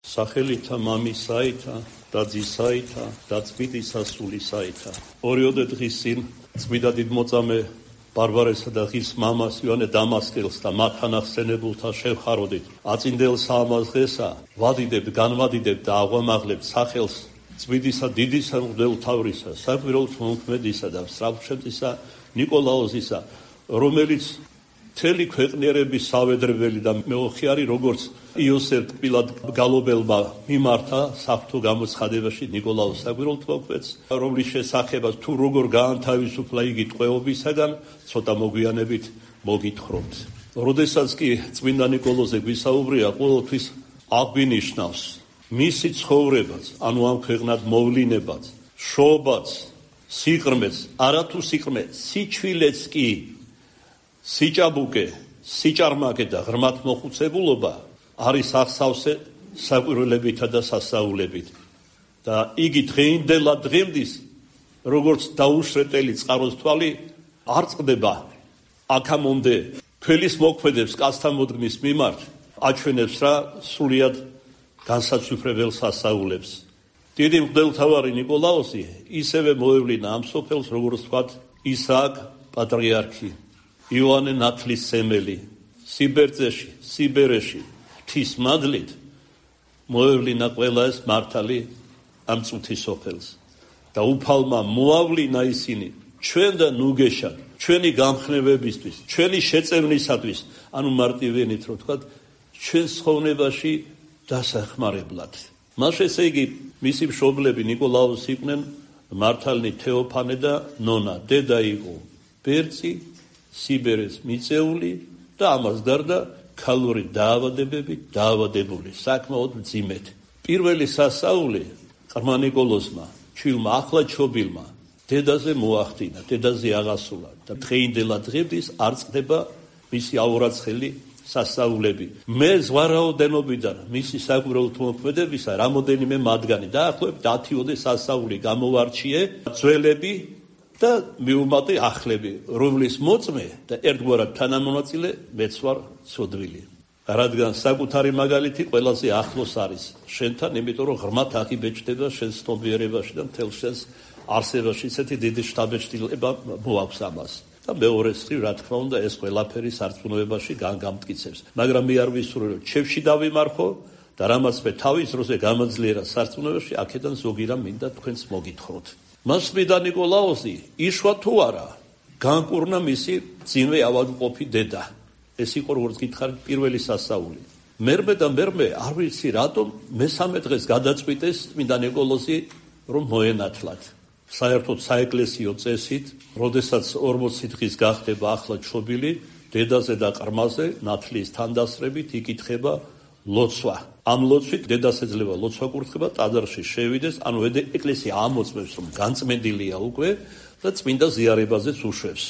სახელითა მამისაითა და ძისაითა და წმინდისა სულისაითა. ორიოდე დღის წინ წმინდა დიდმოწამე ბარბარესა და ღირს მამას იოანე დამასკელს და მათთან ახსენებულთა შევხაროდით. აწინდელ საამას დღესა ვადიდებთ, განვადიდებთ და აღვამაღლებთ სახელს წმინდისა დიდისა მღვდელმთავრისა, საკვირველთ მომქმედისა და მსრავლშემწისა ნიკოლაოზისა, რომელიც მთელი ქვეყნიერების სავედრებელი და მეოხიარი, როგორც იოსებ ტკბილად გალობელმა მიმართა საფრთხო გამოცხადებაში ნიკოლაოს საკვირველთმოქმედს, რომლის შესახებაც თუ როგორ გაანთავისუფლა იგი ტყვეობისაგან, ცოტა მოგვიანებით მოგითხრობთ. როდესაც კი წმინდა ნიკოლოზზე გვისაუბრია, ყოველთვის აღგვინიშნავს მისი ცხოვრებაც, ანუ ამ ქვეყნად მოვლინებაც, შობაც, სიყრმეც, არათუ სიყრმე, სიჩვილეც კი, სიჭაბუკე, სიჭარმაკე და ღრმად მოხუცებულობა არის აღსავსე საკვირველებითა და სასაულებით. და იგი დღეინდელად დღემდის, როგორც დაუშრეტელი წყაროს თვალი, არ წყდება აქამდე თველის მოქმედებს კაცთა მოდგმის მიმართ, აჩვენებს რა სრულიად განსაცვიფრებელ სასაულებს. დიდი მღვდელმთავარი ნიკოლაოსი ისევე მოევლინა ამ სოფელს, როგორც ვთქვათ, ისააკ პატრიარქი, იოანე ნათლისმცემელი, სიბერძეში, სიბერეში, ღვთის მადლით მოევლინა ყველა ეს მართალი ამ წუთის სოფელს. და უფალმა მოავლინა ისინი ჩვენდა ნუგეშად, ჩვენი გამხნევებისთვის, ჩვენი შეწევნისათვის, ანუ მარტივენით რო ვთქვათ, ჩვენ ცხოვრებაში დასახმარებლად. მას ესე იგი მისი მშობლები ნიკოლაოსი იყვნენ მართალნი თეოფანე და ნონა. დედა იყო ბერწი, სიბერეს მიწეული და ამას გარდა ქალური დაავადებებით დაავადებული, საკმაოდ მძიმედ. პირველი სასაული ყრმა ნიკოლოზმა, ჩვილმა ახლა ჩობილმა, დედაზე მოახდინა, დედაზე აღასულა და დღეინდელად დღემდის არ წყდება მისი აურაცხელი სასაულები. მე ზვარაოდენობიდან მისი საკვირველთმოქმედებისა რამოდენიმე მათგანი დაახლოებით 10 სასაული გამოვარჩიე, ძველები და მიუმატე ახლები, რომლის მოწმე და ერთგვარად თანამონაწილე მეც ვარ ცოდვილი. რადგან საკუთარი მაგალითი ყველაზე ახლოს არის შენთან, იმიტომ რომ ღრმად აღიბეჭდება შენს ცნობიერებაში და მთელ შენს არსებაში. ისეთი დიდი შთაბეჭდილება მოაქვს ამას. და მეორეს მხრივ, რა თქმა უნდა, ეს ყველაფერი სარწმუნოებაში გამტკიცებს. მაგრამ მე არ ვისურვებ, რომ ჩევში დავიმარხო და რამაც მე თავის დროზე გამაძლიერა სარწმუნოებაში, აქედან ზოგი რამ მინდა თქვენს მოგითხროთ. მას წმინდა ნიკოლაოსი იშვა თუ არა, განკურნა მისი ძინვე ავადმყოფი დედა. ეს იყო, როგორც გითხარით, პირველი სასაული. მერმე და მერმე არ ვიცი რატომ მესამე დღეს გადაწყვიტეს წმინდა ნიკოლოზი, რომ მოენათლათ. საერთოდ საეკლესიო წესით, როდესაც 40 დღის გახდება ახლა ჩობილი, დედაზე და ყრმაზე ნათლის თანდასწრებით იკითხება ლოცვა. ამ ლოცვით დედას ეძლევა ლოცვა კურთხება, ტაძარში შევიდეს, ანუ ეკლესია ამოწმებს, რომ განწმენდილია უკვე და წმინდა ზიარებაზეც უშვებს.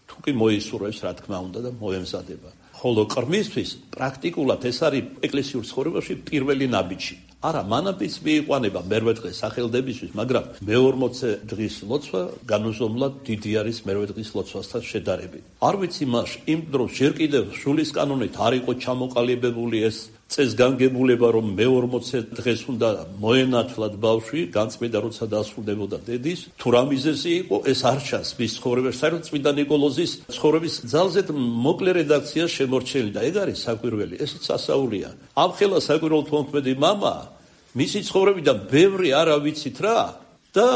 თუ კი მოისურვებს, რა თქმა უნდა, და მოემზადება. ხოლო ყრმისთვის პრაქტიკულად ეს არის ეკლესიურ ცხოვრებაში პირველი ნაბიჯი. არა, მანამდეც მიიყვანება მერვე დღეს სახელდებისთვის, მაგრამ მე-40 დღის ლოცვა განუზომლად დიდი არის მერვე დღის ლოცვასთან შედარებით. არ ვიცი მას იმ დროს ჯერ კიდევ სულის კანონით არ იყო ჩამოყალიბებული ეს წესგანგებულება, რომ მე-40 დღეს უნდა მოენათლათ ბავშვი, განწმენდა როცა დასრულდებოდა დედის, თუ რა მიზეზი იყო, ეს არ ჩანს მის ცხოვრებაში. საერთოდ წმინდა ნიკოლოზის ცხოვრების ძალზედ მოკლე რედაქცია შემორჩენილი და ეგ არის საკვირველი, ესეც სასაულია. ამ ხელა საკვირველთმოქმედი მამა მისი ცხოვრებიდან ბევრი არა ვიცით რა და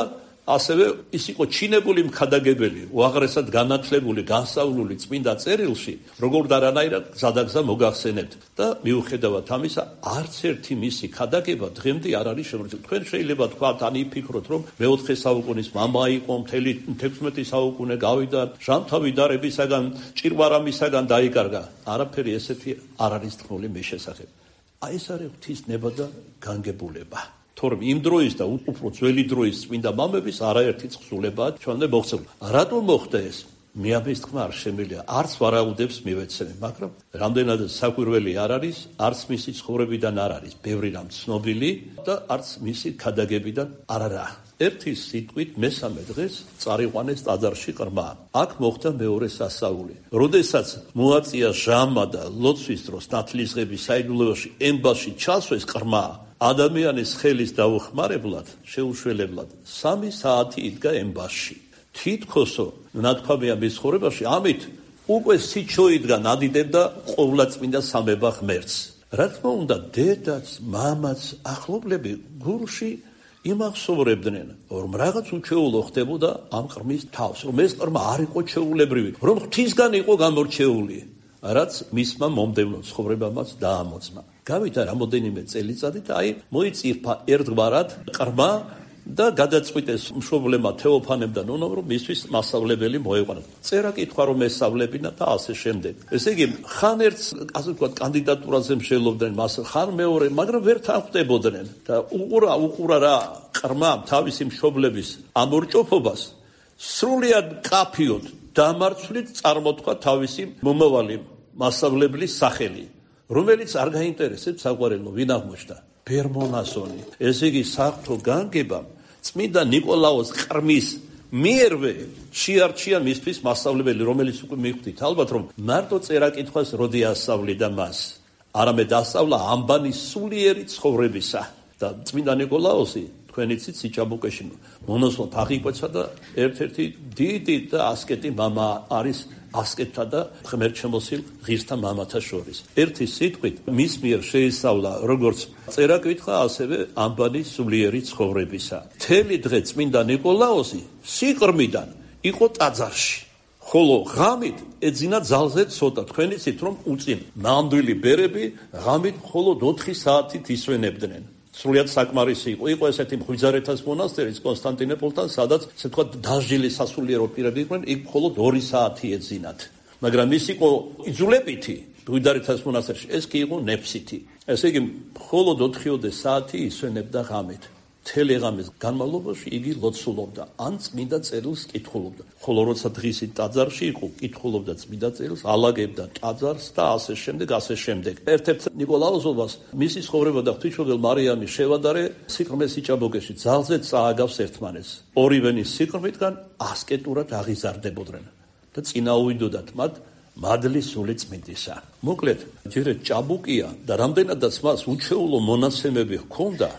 ასევე ის იყო ჩინებული მქადაგებელი, უაღრესად განათლებული, განსწავლული წმინდა წერილში, როგორ და რანაირად გზადაგზა მოგახსენებთ და მიუხედავად ამისა, არც ერთი მისი ქადაგება დღემდე არ არის შემორჩენილი. თქვენ შეიძლება თქვათ, ან იფიქროთ, რომ მე-4 საუკუნის მამა იყო, მთელი 16 საუკუნე გავიდა, ჟამთავი დარებისაგან, ჭირვარამისაგან დაიკარგა. არაფერი ესეთი არ არის თქმული მის შესახებ. აი ეს არის ღვთის ნება და განგებულება. თორემ იმ დროის და უფრო ძველი დროის წმინდა მამების არაერთი თხზულებაა ჩვენამდე მოღწეული. რატომ მოხდა ეს? მე ამის თქმა არ შემიძლია, არც ვარაუდებს მივეცემ, მაგრამ რამდენადაც საკვირველი არ არის, არც მისი ცხოვრებიდან არ არის ბევრი რამ ცნობილი და არც მისი ქადაგებიდან არა. ერთი სიტყვით მესამე დღეს წარიყვანეს ტაძარში ყრმა. აქ მოხდა მეორე სასაული. როდესაც მოაწია ჟამა და ლოცვის დროს ნათლისღების საიდუმლოებაში ემბაში ჩასვეს ყრმა, ადამიანის ხელის დაუხმარებლად, შეუშველებლად 3 საათი იდგა ემბასში. თითქოსო ნათქვამია მის ცხოვრებაში, ამით უკვე სიჩო იდგა ნადიდებდა ყოვლადწმინდა სამება ღმერთს. რა თქმა უნდა, დედაც, მამაც, ახლობლები გულში იმახსოვრებდნენ, რომ რაღაც უჩვეულო ხდებოდა ამ ყრმის თავს, რომ ეს ყრმა არ იყო ჩვეულებრივი, რომ ღვთისგან იყო გამორჩეული, რაც მისმა მომდევნო ცხოვრებამაც დაამოწმა. გავიდა რამოდენიმე წელიწადი და მოიწირფა ერთგვარად ყრმა და გადაწყვიტეს მშობლებმა თეოფანემ და ნონომ, რომ მისთვის მასწავლებელი მოეყვანათ. წერა-კითხვა რომ ესწავლებინა და ასე შემდეგ. ესე იგი, ხან ერთს, ასე ვთქვათ, კანდიდატურაზე მსჯელობდნენ მას, ხან მეორე, მაგრამ ვერ თანხმდებოდნენ და უყურა რა ყრმა თავისი მშობლების ამორჭოფობას, სრულიად კაფიოდ დამარცვლით წარმოთქვა თავისი მომავალი მასწავლებლის სახელი, რომელიც არ გაინტერესებს საყვარელო, ვინ აღმოჩნდა? ბერმონასონი. ესე იგი, საღვთო განგებამ წმინდა ნიკოლაოს ყრმის მიერვე შეარჩია მისთვის მასწავლებელი, რომელიც უკვე მიხვდით ალბათ, რომ მარტო წერა-კითხვას როდი ასწავლიდა მას, არამედ ასწავლა ამბანის სულიერი ცხოვრებისა. და წმინდა ნიკოლაოსი თქვენ იცით სიჭაბუკეში მონოსვლად აღიკვეცა და ერთ-ერთი დიდი და ასკეტი მამა არის ასკეტთა და ღმერთშემოსილ ღირსთა მამათა შორის. ერთი სიტყვით მის მიერ შეისწავლა როგორც წერა-კითხვა, ასევე ამბანის სულიერი ცხოვრებისა. მთელი დღე წმინდა ნიკოლაოსი სიყრმიდან იყო ტაძარში, ხოლო ღამით ეძინა ძალზე ცოტა. თქვენ იცით რომ უწინ ნამდვილი ბერები ღამით მხოლოდ 4 საათით ისვენებდნენ. სრულიად საკმარისი იყო ესეთი მღვიძარეთას მონასტერის კონსტანტინოპოლთან, სადაც ესე ვთქვათ დაჟილი სასულიერო პირები იყვნენ, იქ მხოლოდ 2 საათი ეძინათ. მაგრამ ის იყო იძულებითი მღვიძარეთას მონასტერში, ეს კი იყო ნეფსითი. ესე იგი, მხოლოდ 4 საათი ისვენებდა ღამით. მთელი ღამის განმავლობაში იგი ლოცულობდა, ან წმინდა წერილს კითხულობდა. ხოლო როცა დღისით ტაძარში იყო, კითხულობდა წმინდა წერილს, ალაგებდა ტაძარს და ასე შემდეგ, ასე შემდეგ. ერთ-ერთ ნიკოლაოსობას მისი ცხოვრება და ღვთისმშობელ მარიამი შევადარე სიყრმეს სიჭაბუკეში ძალზე წააგავს ერთმანეთს. ორივენი სიყრმისგან ასკეტურად აღიზარდებოდნენ და წინაუვიდოდათ მათ მადლის სული წმინდისა. მოკლედ, ჯერ ჭაბუკია და რამდენადაც მას უჩვეულო მონაცემები ჰქონდა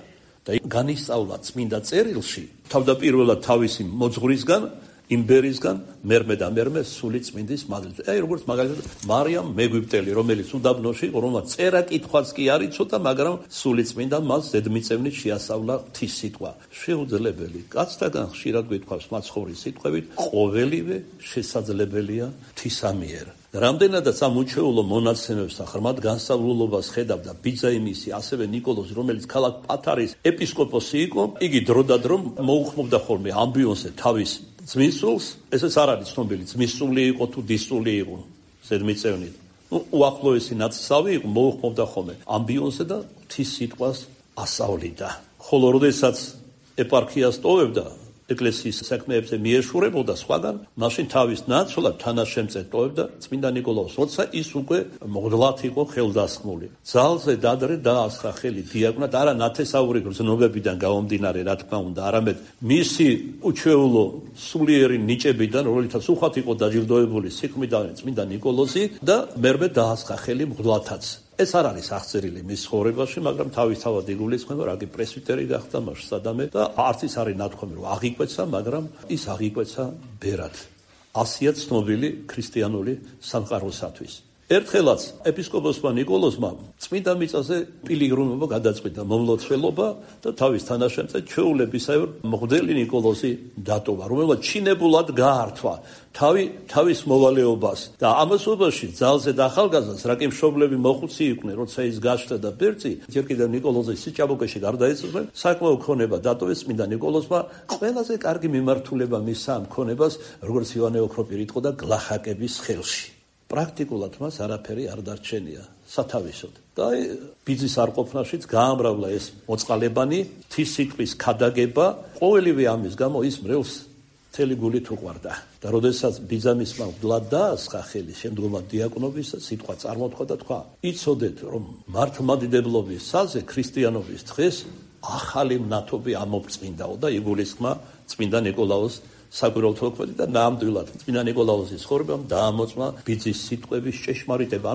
და განისწავლა წმინდა წერილში, თავდაპირველად თავისი მოძღვრისგან, იმბერისგან, მერმე და მერმე სული წმინდის მადლით. როგორც მაგალითად მარიამ მეგვიპტელი, რომელიც უდაბნოში იყო, რომელმაც წერა-კითხვაც კი არ იცოდა, მაგრამ სული წმინდა მას ზედმიწევნით შეასწავლა ღვთის სიტყვა. შეუძლებელი, კაცთაგან ხშირად გვითხოვს მაცხოვრის სიტყვებით, ყოველივე შესაძლებელია ღვთისა მიერ. რამდენადაც ამ უჩვეულო მონაცემებს და ღრმად განსწავლულობას ხედავდა ბიძაიმისი, ასევე ნიკოლოზი, რომელიც ქალაქ პათარის ეპისკოპოსი იყო, იგი დროდადრო მოუხმობდა ხოლმე ამბიონზე თავის ძმისსულს, ესეც არ არის ცნობილი, ძმისსული იყო თუ დისსული იყო, ზედმიწევნით. უახლოესი ნაცსავი იყო, მოუხმობდა ხოლმე ამბიონზე და ღვთის სიტყვას ასწავლიდა. ხოლო როდესაც ეპარქიას ტოვებდა, ეკლესიის საქმეებზე მიეშურებოდა სხვაგან, მაშინ თავის ნაცვლად თანაშემწედ ტოვებდა წმინდა ნიკოლაოს, როცა ის უკვე მღვდლად იყო ხელდასხმული. ძალზე დადრე დაასხა ხელი დიაკვნად, არა ნათესაური გრძნობებიდან გამომდინარე, რა თქმა უნდა, არამედ მისი უჩვეულო სულიერი ნიჭებიდან, რომელთაც უხვად იყო დაჯილდოებული სიკვდიდან წმინდა ნიკოლოზი და მერმე დაასხა ხელი მღვდლათაც. ეს არ არის აღწერილი მის ცხოვრებაში, მაგრამ თავისთავად იგულისხმება, რა კი პრესვიტერი გახდა მასშტადამე და არც ის არის ნათქვამი, რომ აღიკვეცა, მაგრამ ის აღიკვეცა ბერად. ასია ცნობილი ქრისტიანული სამყაროსათვის. ერთხელაც ეპისკოპოსმა ნიკოლოზმა წმინდა მიწაზე პილიგრიმობა გადაწყვიტა, მომლოცველობა და თავის თანაშემწედ ჩვეულებისეულ მღვდელი ნიკოლოზი დატოვა, რომელმაც ჩინებულად გაართვა თავის მოვალეობას და ამასობაში ძალზე ახალგაზრდას, რა კი მშობლები მოხუცი იყვნენ, როცა ის გაჩნდა და ბერწი, ჯერ კიდევ ნიკოლოზის სიჭაბუკეში გარდაეცვალა, საკმაო ქონება დატოვეს წმინდა ნიკოლოზმა, ყველაზე კარგი მიმართულება მისცა ამ ქონებას, როგორც იოანე ოქროპირი იყო და გლახაკების ხელში. პრაქტიკულად მას არაფერი არ დარჩენია სათავისოდ. და ბიძის არყოფნაშიც გაამრავლა ეს მოწყალებანი, ღვთის სიტყვის ქადაგება, ყოველივე ამის გამო ის მრევლს მთელი გულით უყვარდა. და როდესაც ბიძამისმა მღვდლად დაასხა ხელი შემდგომად დიაკვნობის, სიტყვა წარმოთქვა და თქვა: იცოდეთ, რომ მართლმადიდებლობის საზე ქრისტიანობის დღეს ახალი მნათობი ამობრწყინდაო და იგულისხმა წმინდა ნიკოლაოს საკვირველთო მოქმედი და ნამდვილად წმინდა ნიკოლაუსის ცხოვრებამ დაამოწმა ბიძის სიტყვების ჭეშმარიტება.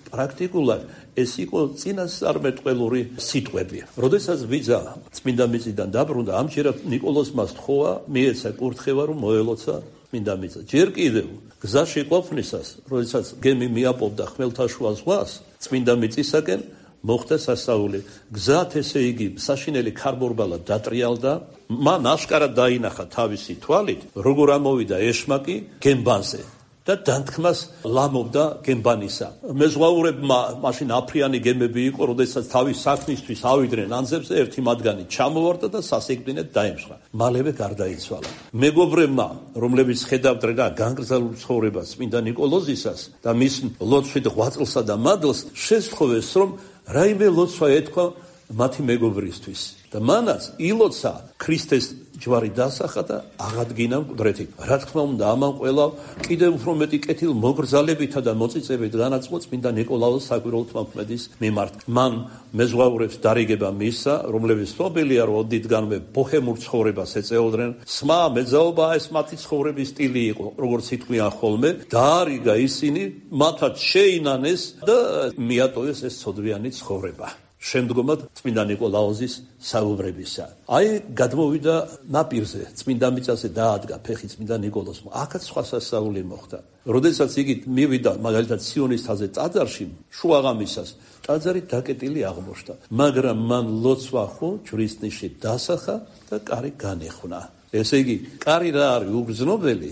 პრაქტიკულად ეს იყო წინასწარმეტყველური სიტყვები. როდესაც ბიძა წმინდა მიწიდან დაბრუნდა, ამჯერად ნიკოლოზმა სთხოვა, მიეცა კურთხევა, რომ მოელოცა წმინდა მიწა. ჯერ კიდევ გზაში ყოფნისას, როდესაც გემი მიაპოვდა ხმელთაშუა ზღვას, წმინდა მიწისაკენ მოხდა სასაული. გზად ესე იგი საშინელი ქარბორბალა დატრიალდა, მან აშკარად დაინახა თავისი თვალით, როგორ ამოვიდა ეშმაკი გემბანზე და დანთქმას ლამობდა გემბანისა. მეზღვაურებმა მაშინ აფრიანი გემები იყო, როდესაც თავის საქმისთვის ავიდნენ ანძებზე, ერთი მათგანი ჩამოვარდა და სასიკვდინედ დაემსხვრა. მალევე გარდაიცვალა. მეგობრებმა, რომლებიც ხედავდნენ განგრძალულ ცხოვრებას წმინდა ნიკოლოზისას და მის ლოცვით ღვაწლსა და მადლს, შესთხოვეს, რომ რაიმე ლოცვა ეთქვა მათი მეგობრისთვის და მანაც ილოცა ქრისტეს ჯვარი დასახა და აღადგინა მკვდრეთი. რა თქმა უნდა, ამან ყველა კიდევ უფრო მეტი კეთილ მოგრძალებითა და მოწიწებით განაწყო წმინდა ნიკოლაოს საკვირველთო მოქმედის მიმართ. მან მეზღვაურებს დარიგება მისცა, რომლებიც ცნობილია, რომ ოდითგანვე ბოჰემურ ცხოვრებას ეწეოდნენ. სმა მეძაობა ეს მათი ცხოვრების სტილი იყო, როგორც ითქვიან ხოლმე, დაარიგა ისინი, მათაც შეინანეს და მიატოვეს ეს ცოდვიანი ცხოვრება. შემდგომად წმინდა ნიკოლაოზის საუბრებისა. გადმოვიდა ნაპირზე, წმინდა მიწაზე დაადგა ფეხი წმინდა ნიკოლოზმა. აქაც სხვა სასაული მოხდა. როდესაც იგი მივიდა მაგალითად სიონის თაზე ტაძარში, შუაღამისას, ტაძარი დაკეტილი აღმოჩნდა, მაგრამ მან ლოცვა ხო ჯვრის ნიში დასახა და კარი განეხნა. ესე იგი, კარი რა არის უგრძნობელი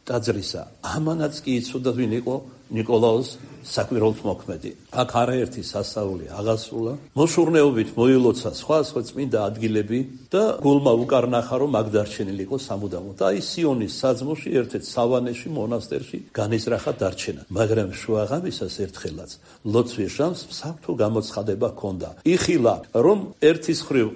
ტაძრისა, ამანაც კი იცოდა ვინ იყო ნიკოლაოს საკვირველთო მოქმედი. აქ არაერთი სასაული აღასრულა, მოშურნეობით მოილოცა სხვა წმინდა ადგილები და გულმა უკარნახა, რომ აქ დარჩენილი იყო სამუდამოდ. სიონის საძმოში, ერთ-ერთ სავანეში, მონასტერში განიზრახა დარჩენა. მაგრამ შუაღამისას ერთხელაც ლოცვის ჟამს საფრთხო გამოცხადება ჰქონდა. იხილა, რომ ერთის მხრივ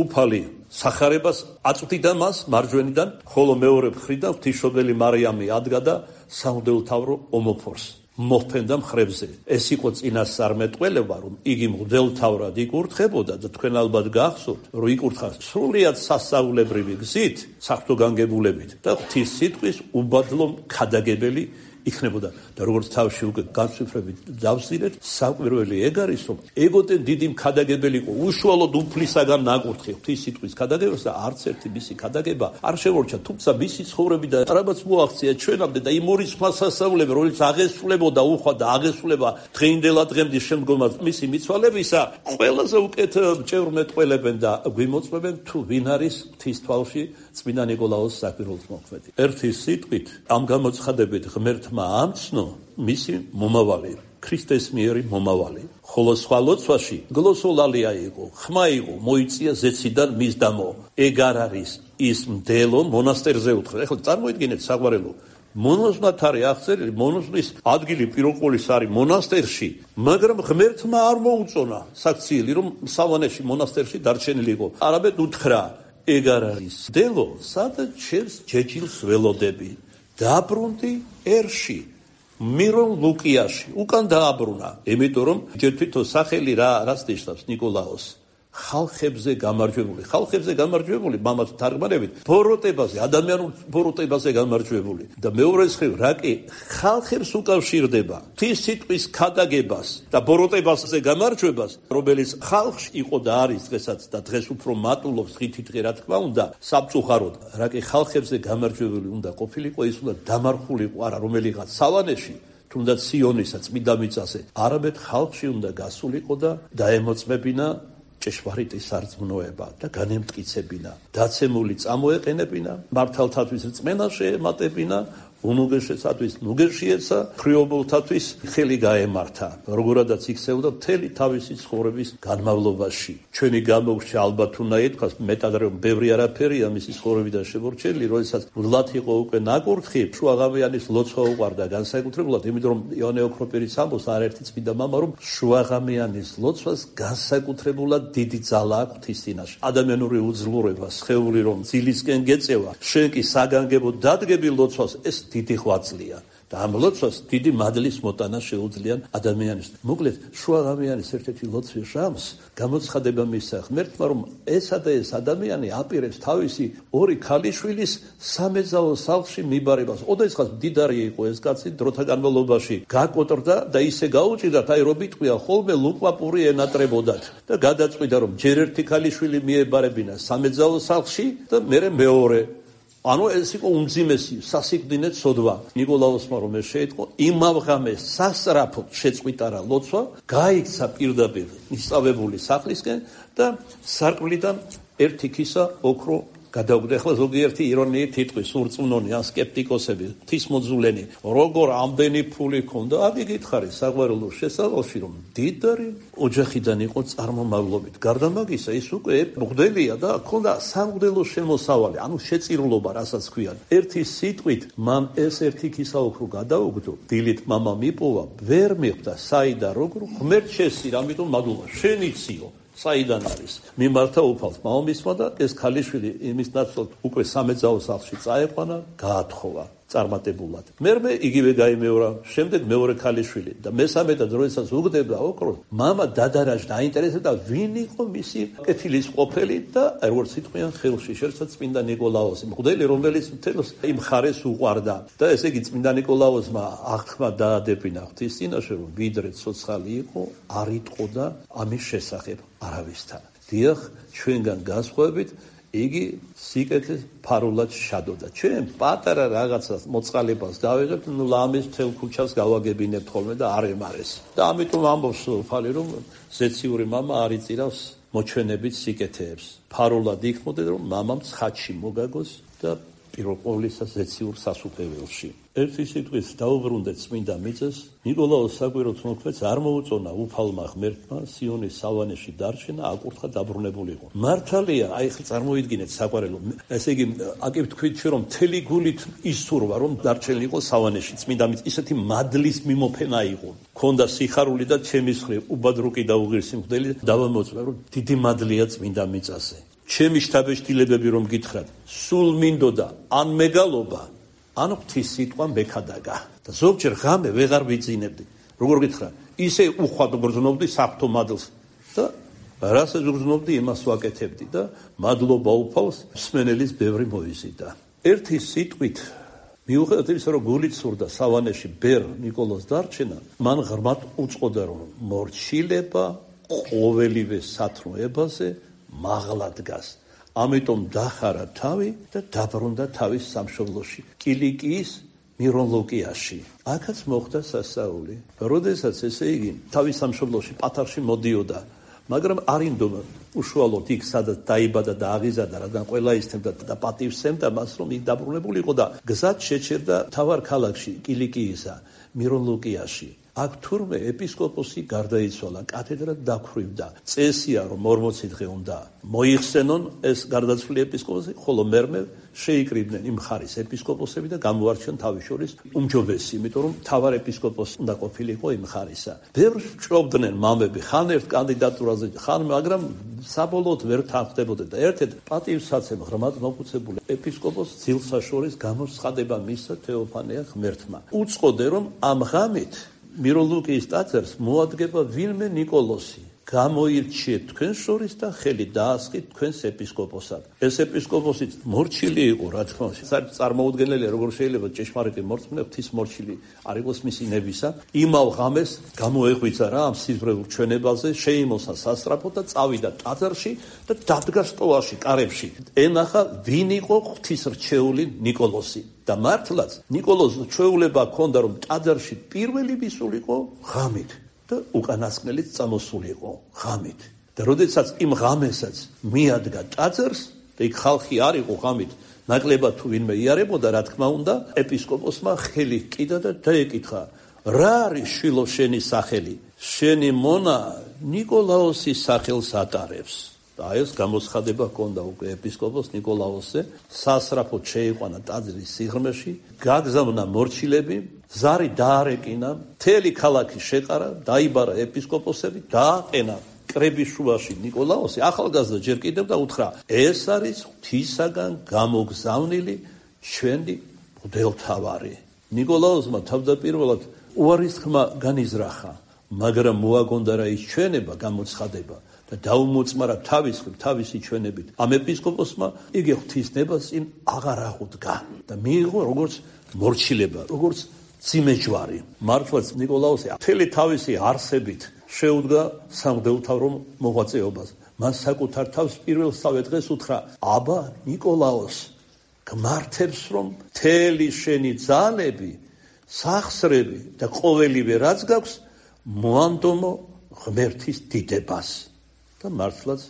უფალი სახარებას აწვდიდა მას მარჯვენიდან, ხოლო მეორე მხრიდან ღვთისმშობელი მარიამი ადგა და სამღვდელმთავრო ომოფორს მოჰფენდა მხრებზე. ეს იყო წინასწარმეტყველება, რომ იგი მღვდელმთავრად იკურთხებოდა და თქვენ ალბათ გახსოვთ, რომ იკურთხა სრულიად სასწაულებრივი გზით, საფრთხო განგებულებით და ღვთის სიტყვის უბადლო ქადაგებელი იქნებოდა. და როგორც თავში უკვე განსვიფრებით დავსვირეთ, საკვირველი ეგ არის, რომ ეგოდენ დიდი მქადაგებელი იყო უშუალოდ უფლისაგან ნაკურთხი ღვთის სიტყვის ქადაგებას და არც ერთი მისი ქადაგება არ შემორჩა, თუმცა მისი ცხოვრები და რამაც მოაღწია ჩვენამდე და იმ ორი სხვა სასწაულები, რომელიც აღესრულებოდა უხვა და აღესრულება დღეინდელა დღემდე შემდგომად მისი მიცვალებისა, ყველაზე უკეთ ჭევრმეტყველებენ და გვიმოწმებენ თუ ვინ არის ღვთის თვალში წმინდა ნიკოლაოს საკვირველთო მოქმედი. ერთი სიტყვით ამ გამოცხადებით ღმერთმა ამცნო მისი მომავალი, ქრისტეს მიერი მომავალი. ხოლო სხვა ლოცვაში გლოსოლალია იყო, ხმა იყო, მოიწია ზეციდან მისდამო. ეგ არ არის ის მდელო მონასტერზე უთხრა. ეხლა წარმოიდგინეთ საყვარელო, მონაზვნად არის აღწერილი, მონაზვნის ადგილი პიროყოლის არის მონასტერში, მაგრამ ღმერთმა არ მოუწონა საქციელი, რომ სავანეში მონასტერში დარჩენილი იყო. არამედ უთხრა, ეგ არ არის მდელო, სადაც ჩემს ჯეჯილს ველოდები. დაბრუნდი ერში, მირონ ლუკიაში, უკან დააბრუნა. იმიტომ რომ ჯერ თვითონ სახელი რას ნიშნავს ნიკოლაოს? ხალხებზე გამარჯვებული. ხალხებზე გამარჯვებული, მამაც თარგმანებით, ბოროტებაზე, ადამიანურ ბოროტებაზე გამარჯვებული. და მეორე მხრივ, რა კი ხალხებს უკავშირდება ღვთის სიტყვის ქადაგებას და ბოროტებაზე გამარჯვებას, რომელიც ხალხში იყო და არის დღესაც და დღეს უფრო მატულობს ღითითღე, რა თქმა უნდა, სამწუხაროდ, რა კი ხალხებზე გამარჯვებული უნდა ყოფილიყო, ის უნდა დამარხულიყო არა რომელიღაც სავანეში, თუნდაც სიონისა წმინდა მიწაზე, არამედ ხალხში უნდა გასულიყო და დაემოწმებინა ჭეშმარიტი სარწმუნოება და განემტკიცებინა, დაცემული წამოეყენებინა, მართალთათვის რწმენა შეემატებინა, უნუგეშესათვის ნუგეშიეცა, ხრიობოლთათვის ხელი გაემართა, როგორადაც იქცეოდა მთელი თავისი ცხოვრების განმავლობაში. ჩვენი გამოგვშა ალბათ უნდა ითქვას, მეტად რომ ბევრი არაფერია მისი ცხოვრებიდან შემორჩენილი, როდესაც მუდლად იყო უკვე ნაკურთხი, შუაღამიანის ლოცვა უყვარდა განსაკუთრებულად, იმიტომ რომ იოანე ოქროპირის ამბობს არაერთი წმინდა მამა, რომ შუაღამიანის ლოცვას განსაკუთრებულად დიდი ძალა აქვს ღვთის წინაშე. ადამიანური უძლურება, სხეული რომ ძილისკენ გეწევა, შენ კი საგანგებო დადგები ლოცვას, ეს დიდი ღვაწლია. და ამ ლოცვას დიდი მადლის მოტანა შეუძლიან ადამიანის. მოკლედ, შუა ღამიანის ერთ-ერთი ლოცვის ჟამს გამოცხადება მისცა ღმერთმა, რომ ესა და ეს ადამიანი აპირებს თავისი ორი ქალიშვილის სამეძაო სახლში მიბარებას. ოდესღაც მდიდარი იყო ეს კაცი, დროთა განმავლობაში გაკოტრდა და ისე გაუჭირდა, აი რომ იტყვია ხოლმე ლუკვაპური ენატრებოდათ და გადაწყვიტა, რომ ჯერ ერთი ქალიშვილი მიებარებინა სამეძაო სახლში და მერე მეორე. ანუ ეს იყო უმძიმესი სასიკვდინე ცოდვა. ნიკოლაოსმა რომ ეს შეიტყო, იმავე ღამეს სასწრაფოდ შეწყვიტარა ლოცვა, გაიქცა პირდაპირ მისწავებული სახლისკენ და სარკმლიდან ერთი ქისა ოქრო გადაუგდა. ახლა ზოგიერთი ირონიით იტყვის, ურწმუნონი ან სკეპტიკოსები, ღვთისმოძულენი, როგორ ამდენი ფული ქონდა? აგიგითხარი საყვარელო შესავალში, რომ დიდარი ოჯახიდან იყო წარმომავლობით. გარდა მაგისა, ის უკვე მღვდელია და ქონდა სამღვდელო შემოსავალი, ანუ შეწირულობა, რასაც ქვიან. ერთი სიტყვით მან ეს ერთი ქისა ოქრო გადაუგდო, დილით მამა მიპოვა, ვერ მიხვდა საიდან როგორ ღმერთ შესწირა, ამიტომ მადლობა, შენ იციო. საიდან არის? მიმართა უფალს მამამისმა და ეს ქალიშვილი იმის ნაცვლად უკვე სამეძაო სახლში წაეყვანა, გაათხოვა წარმატებულად. მერმე იგივე გაიმეორა, შემდეგ მეორე ქალიშვილი და მესამე და დროისაც უგდება ოქროს. მამა დადარაჯდა, აინტერესებდა ვინ იყო მისი კეთილის ყოფილი და როგორც იტყვიან ხელში შერცა წმინდა ნიკოლაოსი, მღვდელი რომელიც მთელს იმ ხარეს უყვარდა. და ესე იგი წმინდა ნიკოლაოსმა აღთქმა დაადებინა ღვთის წინაშე, რომ ვიდრე ცოცხალი იყო, არ იტყოდა ამის შესახებ არავისთან. დიახ, ჩვენგან განსხვავებით იგი სიკეთეს ფარულად შადოდა. ჩვენ პატარა რაღაცას მოწყალებას გავიღებთ, ნუ ლამის მთელ ქუჩას გავაგებინებთ ხოლმე და არ ემარეს. და ამიტომ ამბობს უფალი, რომ ზეციური მამა არ იწირავს მოჩვენებით სიკეთეებს. ფარულად იქმოდეთ, რომ მამამ ცხადში მოგაგოს და პირველ ყოვლისა ზეციურ სასუფეველში. ერთი სიტყვით დაუბრუნდეთ წმინდა მიწას, ნიკოლაოს საკვიროთ მოქმედს არ მოუწონა უფალმა ღმერთმა სიონის სავანეში დარჩენა, აკურთხა დაბრუნებულიყო. მართალია, აი ხა წარმოიდგინეთ საყვარელო, ესე იგი აკებ თქვით ჩვენ რომ მთელი გულით ისურვა რომ დარჩენილიყო სავანეში წმინდა მიწა, ისეთი მადლის მიმოფენა იყო. ქონდა სიხარული და ჩემი მხრივ უბადრუკი დაუღირსი მღვდელი დავამოწმე რომ დიდი მადლია წმინდა მიწაზე. ჩემი შთაბეჭდილებები რომ გითხრათ, სულ მინდოდა ან მეგალობა, ან ღვთის სიტყვა მექადაგა. და ზოგჯერ ღამე ვეღარ ვიძინებდი. როგორ გითხრა, ისე უხვად გრძნობდი საფრთხო მადლს და რასაც გრძნობდი, იმას ვაკეთებდი და მადლობა უფალს მსმენელის ბევრი მოიზიდა. ერთი სიტყვით მიუხედავად იმისა, რომ გულით სურდა სავანეში ბერ ნიკოლოს დარჩენა, მან ღრმად უწყოდა, რომ მორჩილება ყოველივე სათნოებაზე მაღლა დგას. ამიტომ დახარა თავი და დაბრუნდა თავის სამშობლოში, კილიკიის მირონლოკიაში. აქაც მოხდა სასაული. როდესაც ესე იგი თავის სამშობლოში პატარში მოდიოდა, მაგრამ არ ინდომა უშუალოდ იქ სადაც დაიბადა და აღიზარდა, რადგან ყველა ისთმდა და პატივსცემდა მას, რომ იქ დაბრუნებულიყო და გზად შეჩერდა თავარ ქალაქში, კილიკიისა, მირონლოკიაში. აქ თურმე ეპისკოპოსი გარდაიცვალა, კათედრა დაქვრივდა. წესია, რომ 40 დღე უნდა მოიხსენონ ეს გარდაცვლილი ეპისკოპოსი, ხოლო მერმე შეიკრიბნენ იმ ხარის ეპისკოპოსები და გამოარჩიონ თავის შორის უმჯობესი, იმიტომ რომ თავარ ეპისკოპოსი უნდა ყოფილიყო იმ ხარისა. ბევრს ჭრობდნენ მამები, ხან ერთ კანდიდატურაზე, ხან, მაგრამ საბოლოოდ ვერ თანხდებოდა და ერთ-ერთ პატივსაცემ ღრმად მოხუცებული ეპისკოპოს ძილსაშორის გამოცხადება მისცა თეოფანე ღმერთმა. უწყოდე, რომ ამ ღამით მირონლოკიის ტაძარს მოადგება ვინმე ნიკოლოსი. გამოირჩიეთ თქვენ შორის და ხელი დაასხით თქვენს ეპისკოპოსად. ეს ეპისკოპოსიც მორჩილი იყო, რა თქმა უნდა. წარმოუდგენელია, როგორ შეიძლება ჭეშმარიტი მორწმუნე ღვთის მორჩილი არ იყოს მისი ნებისა. იმავ ღამეს გამოეღვიძა რა ამ სიზმრებულ ჩვენებაზე, შეიმოსა სასწრაფოდ და წავიდა ტაძარში და დადგა სტოლაში, კარებში. ენახა ვინ იყო ღვთისრჩეული ნიკოლოსი. და მართლაც ნიკოლოს ჩვეულება ჰქონდა, რომ ტაძარში პირველი მისულიყო ღამით და უკანასკნელიც წამოსულიყო ღამით. და როდესაც იმ ღამესაც მიადგა ტაძარს და იქ ხალხი არ იყო ღამით, ნაკლებად თუ ვინმე იარებოდა, რა თქმა უნდა, ეპისკოპოსმა ხელი ჰკიდა და დაეკითხა, რა არის შვილო შენი სახელი? შენი მონა ნიკოლაოსის სახელს ატარებს. და ეს გამოცხადება ჰქონდა უკვე ეპისკოპოს ნიკოლაოსზე, სასწრაფოდ შეიყვანა ტაძრის სიღრმეში, გაგზავნა მორჩილები, ზარი დაარეკინა, მთელი ქალაქი შეყარა, დაიბარა ეპისკოპოსები, დააყენა კრების შუაში ნიკოლაოსი, ახალგაზრდა ჯერ კიდევ და უთხრა, ეს არის ღვთისაგან გამოგზავნილი ჩვენი მღვდელმთავარი. ნიკოლაუსმა თავდაპირველად უარის ხმა განიზრახა, მაგრამ მოაგონდა რა ის ჩვენება გამოცხადება და დაუმოწმარა თავისი ჩვენებით. ამ ეპისკოპოსმა იგი ღვთისნებას იმ აღარ აღუდგა და მიიღო როგორც მორჩილება, როგორც ძიმეჯვარი. მართლაც ნიკოლაუსი მთელი თავისი არსებით შეუდგა სამღვდელმთავრო მოღვაწეობას. მან საკუთარ თავს პირველსავე დღეს უთხრა: აბა ნიკოლაოს, გმართებს რომ მთელი შენი ძალები, სახსრები და ყოველივე რაც გაქვს მოანდომო ღმერთის დიდებას. და მართლაც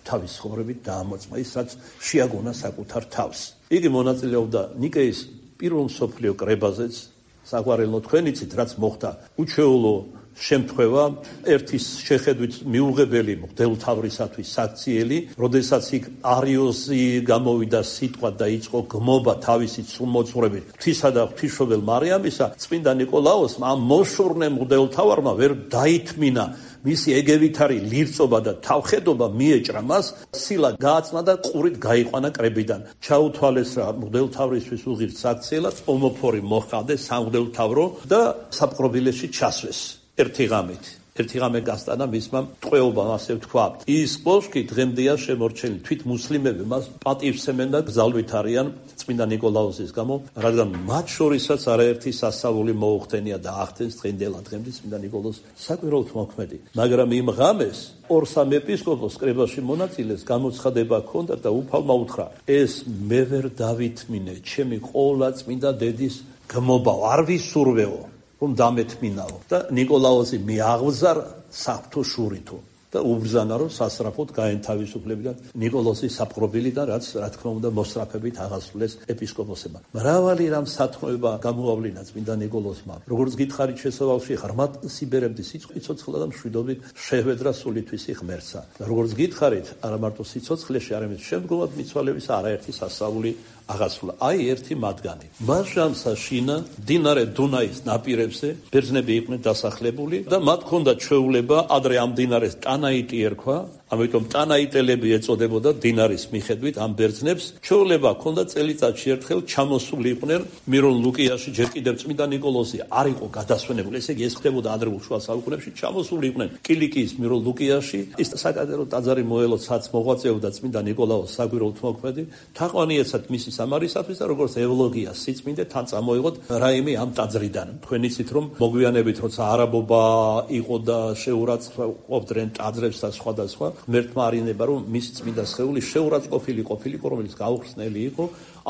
თავის ცხოვრებით დაამოწმა ის, რაც შეაგონა საკუთარ თავს. იგი მონაწილეობდა ნიკეის პირველ მსოფლიო კრებაზეც, საგვარელო თქვენიცით, რაც მოხდა უჩვეულო შემთხვევა, ერთის შეხედვით მიუღებელი მღვდელმთავრისათვის საქციელი, როდესაც იქ არიოზი გამოვიდა სიტყვა და იწყო გმობა თავისი მოძღვრებით ღვთისა და ღვთისმშობელ მარიამისა, წმინდა ნიკოლაოსმა ამ მოშორნე მღვდელმთავარმა ვერ დაითმინა. მისი ეგევითარი ლირწობა და თავხედობა მიეჭრა მას, სილა გააწნა და ყურით გაიყვანა კრებიდან. ჩაუთვალეს რა მღვდელმთავრისთვის უღირს საქციელად, ომოფორი მოჰყავდეს სამღვდელმთავრო და საპყრობილეში ჩასვეს. ერთი ღამე გასტანა მისმა ტყვეობამ, ასე ვთქვათ. ის კოშკი დღემდეა შემორჩენილი. თვით მუსლიმები მას პატივსცემენ და გზალვით არიან წმინდა ნიკოლაუსის გამო, რადგან მათ შორისაც არაერთი სასწაული მოუხდენია და ახდენს დღემდე წმინდა ნიკოლაოს საკვირაოდ მოქმედი. მაგრამ იმ ღამეს ორ-სამ ეპისკოპოს კრებაში მონაწილეს გამოცხადება ჰქონდა და უფალმა უთხრა: ეს მე ვერ დავითმინე, ჩემი ყოლა წმინდა დედის გმობა არ ვისურვეო, რომ დამეთმინაო. და ნიკოლაოსი მიაღბზარა საფრთხო შურითო და უბრძანა, რომ სასწრაფოდ გაენთავისუფლებიდან ნიკოლაოსის საპყრობილიდან, რაც რა თქმა უნდა მოსწრაფებით აღასრულეს ეპისკოპოსებმა. მრავალი რამ სათქმეება გამოავლინა წმინდა ნიკოლაოსმა. როგორც გითხარით, შესავალში ღრმად სიბერებდი სიცოცხლა და მშვიდობით შეჰვედრა სულითვისი ღმერთსა. როგორც გითხარით, არა მარტო სიცოცხლეში, არამედ შემდგომად მიცვალების არაერთი სასწაული აღასრულა. აი ერთი მათგანი. მაშამსა შინა მდინარე დუნაის ნაპირებზე ბერძნები იყვნენ დასახლებული და მათ ჰქონდა ჩვეულება ადრე ამ მდინარეს ტანაიტი ერქვა, ამიტომ ტანაიტელები ეწოდებოდა მდინარის მიხედვით ამ ბერძნებს. ჩვეულება ჰქონდა წელიწადში ერთხელ ჩამოსული იყვნენ მირონ ლუკიაში, ჯერ კიდევ წმინდა ნიკოლაოსი არ იყო გადასვენებული, ესე იგი ეს ხდებოდა ადრეულ შუა საუკუნეებში, ჩამოსული იყვნენ კილიკიის მირონ ლუკიაში. ის საკადერო ტაძარი მოელოცაც მოღვაწეობდა წმინდა ნიკოლაოს საგვირაოდ მოქმედი, თაყვანიეცად მისი სამარისათვის და როგორც ევლოგია სიწმინდე თან წამოიღოთ რაიმე ამ ტაძრიდან. თქვენ იცით რომ მოგვიანებით როცა არაბობა იყო და შეურაცხყოფდნენ ტაძრებს და სხვადასხვა, ღმერთმა არინება რომ მისი წმინდა სხეული შეურაცხყოფილი ყოფილიყო, რომელიც გაუხსნელი იყო,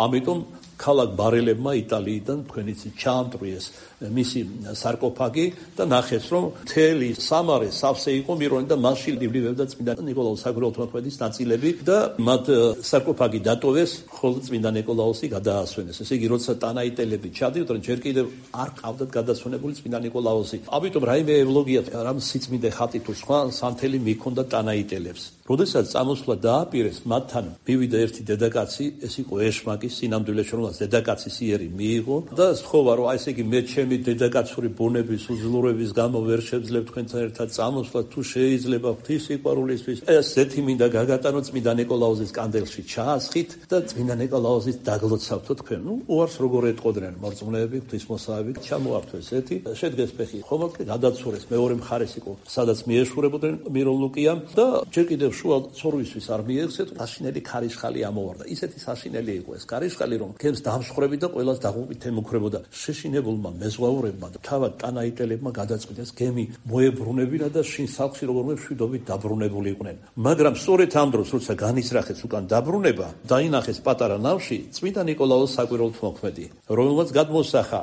ამიტომ ქალაქ ბარელებმა იტალიიდან თქვენ იცით ჩაამტრიეს მისი სარკოფაგი და ნახეს რომ მთელი სამარე სავსე იყო მირონი და მასში იბლივებდა წმინდა ნიკოლაოს საგვირაოდ მოქმედის ნაწილები და მათ სარკოფაგი დატოვეს, ხოლო წმინდა ნიკოლაოსი გადაასვენეს. ესე იგი როცა ტანაიტელები ჩადიოდნენ, ჯერ კიდევ არ ყავდათ გადასვენებული წმინდა ნიკოლაოსი. ამიტომ რაიმე ევლოგია რამ სიწმინდე ხატი თუ სხვა სანთელი მიქონდა ტანაიტელებს. როდესაც წამოსვლა დააპირეს, მათთან მივიდა ერთი დედაკაცი, ეს იყო ეშმაკი, სინამდვილეში რომელსაც დედაკაცის იერი მიიღო და სთხოვა რომ აი ესე იგი მე ჩემი დედაკაცური ბუნების უძლურების გამო ვერ შევძლებ თქვენთან ერთად წამოსვლა, თუ შეიძლება ღვთის სიყვარულისთვის ეს ზეთი მინდა გაგატანო წმინდა ნიკოლაოსის კანდელში ჩაასხით და წმინდა ნიკოლაოსის დაგლოცავთო თქვენ. უარს როგორ ეტყოდნენ მორწმუნეები, ღვთისმოსავები, ჩამოართვეს ზეთი, შედგეს ფეხი ხომალდ გადაცურეს, მეორე მხარეს იყო სადაც მიეშურებოდნენ მირონ ლუკიამ და ჯერ კიდევ შუა ცორვისთვის არ მიეღწეთ, საშინელი ქარიშხალი ამოვარდა. ისეთი საშინელი იყო ეს ქარიშხალი, რომ გემს დამშხრები და ყველას დაღუპით ემუქრებოდა. შეშინებულმა მეზღვაურებმა და თავად ტანაიტელებმა გადაწყვიტეს გემი მოებრუნებინა და შინ სახლში როგორმე მშვიდობით დაბრუნებული იყვნენ. მაგრამ სწორედ ამ დროს, როცა განიზრახეს უკან დაბრუნება, დაინახეს პატარა ნავში წმინდა ნიკოლაოს საკვირაოდ მოქმედი, რომელმაც გადმოსახა,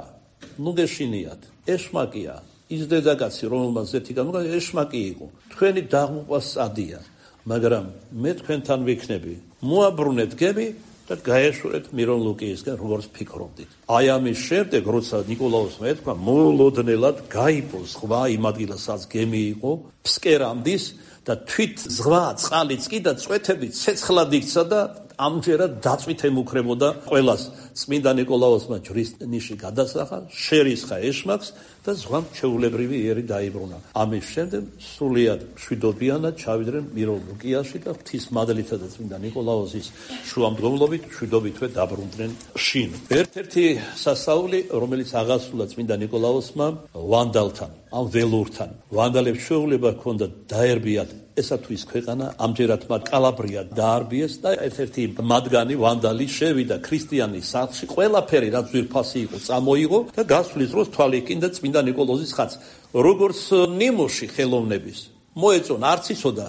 ნუ გეშინიათ, ეშმაკია, ის დედაკაცი, რომელმაც ზეთი გამოგა, ეშმაკი იყო. თქვენი დაღუპვა სწადია, მაგრამ მე თქვენთან ვიქნები. მოაბრუნეთ გემი და გაეშურეთ მირონ ლუკიისგან, როგორც ფიქრობდით. აი ამის შემდეგ, როცა ნიკოლაოსმა ეთქვა, მოულოდნელად გაიპო ზღვა იმ ადგილასაც გემი იყო, ფსკერამდის და თვით ზღვა, წყალიც კი და წვეთებით ცეცხლად იქცა და ამჯერად დაწვით ემუქრებოდა ყველას. წმინდა ნიკოლაოსმა ჯვრის ნიში გადასახა, შერისხა ეშმაკს და ზღვამ ჩვეულებრივი იერი დაიბრუნა. ამის შემდეგ სრულიად მშვიდობიანად ჩავიდნენ მიროლოგიაში და ღვთისმადლითა და წმინდა ნიკოლაოსის შუამდგომლობით მშვიდობითვე დაბრუნდნენ შინ. ერთ-ერთი სასაული, რომელიც აღასრულა წმინდა ნიკოლაოსმა ვანდალთან, ამ ველურთან. ვანდალებს შეუძლება ჰქონდა დაერბიათ ესა თუ ის ქვეყანა, ამჯერად მათ კალაბრია დაარბიეს და ერთ-ერთი მათგანი ვანდალი შევიდა ქრისტიანის სახლში, ყველაფერი რაც ძვირფასი იყო წამოიღო და გასვლის დროს თვალი ჰკინდა წმინდა ნიკოლოზის ხატს. როგორც ნიმუში ხელოვნების მოეწონა, არც იცოდა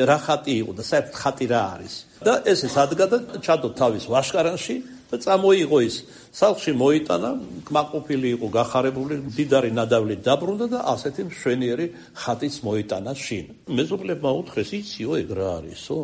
რა ხატი იყო და საერთოდ ხატი რა არის. და ესე სადგა და ჩადო თავის ვაშკარანში და წამოიღო ის. სახლში მოიტანა, კმაყოფილი იყო, გახარებული, მდიდარი ნადავლით დაბრუნდა და ასეთი მშვენიერი ხატიც მოიტანა შინ. მეზობლებმა უთხრეს, იციო ეგ რა არისო?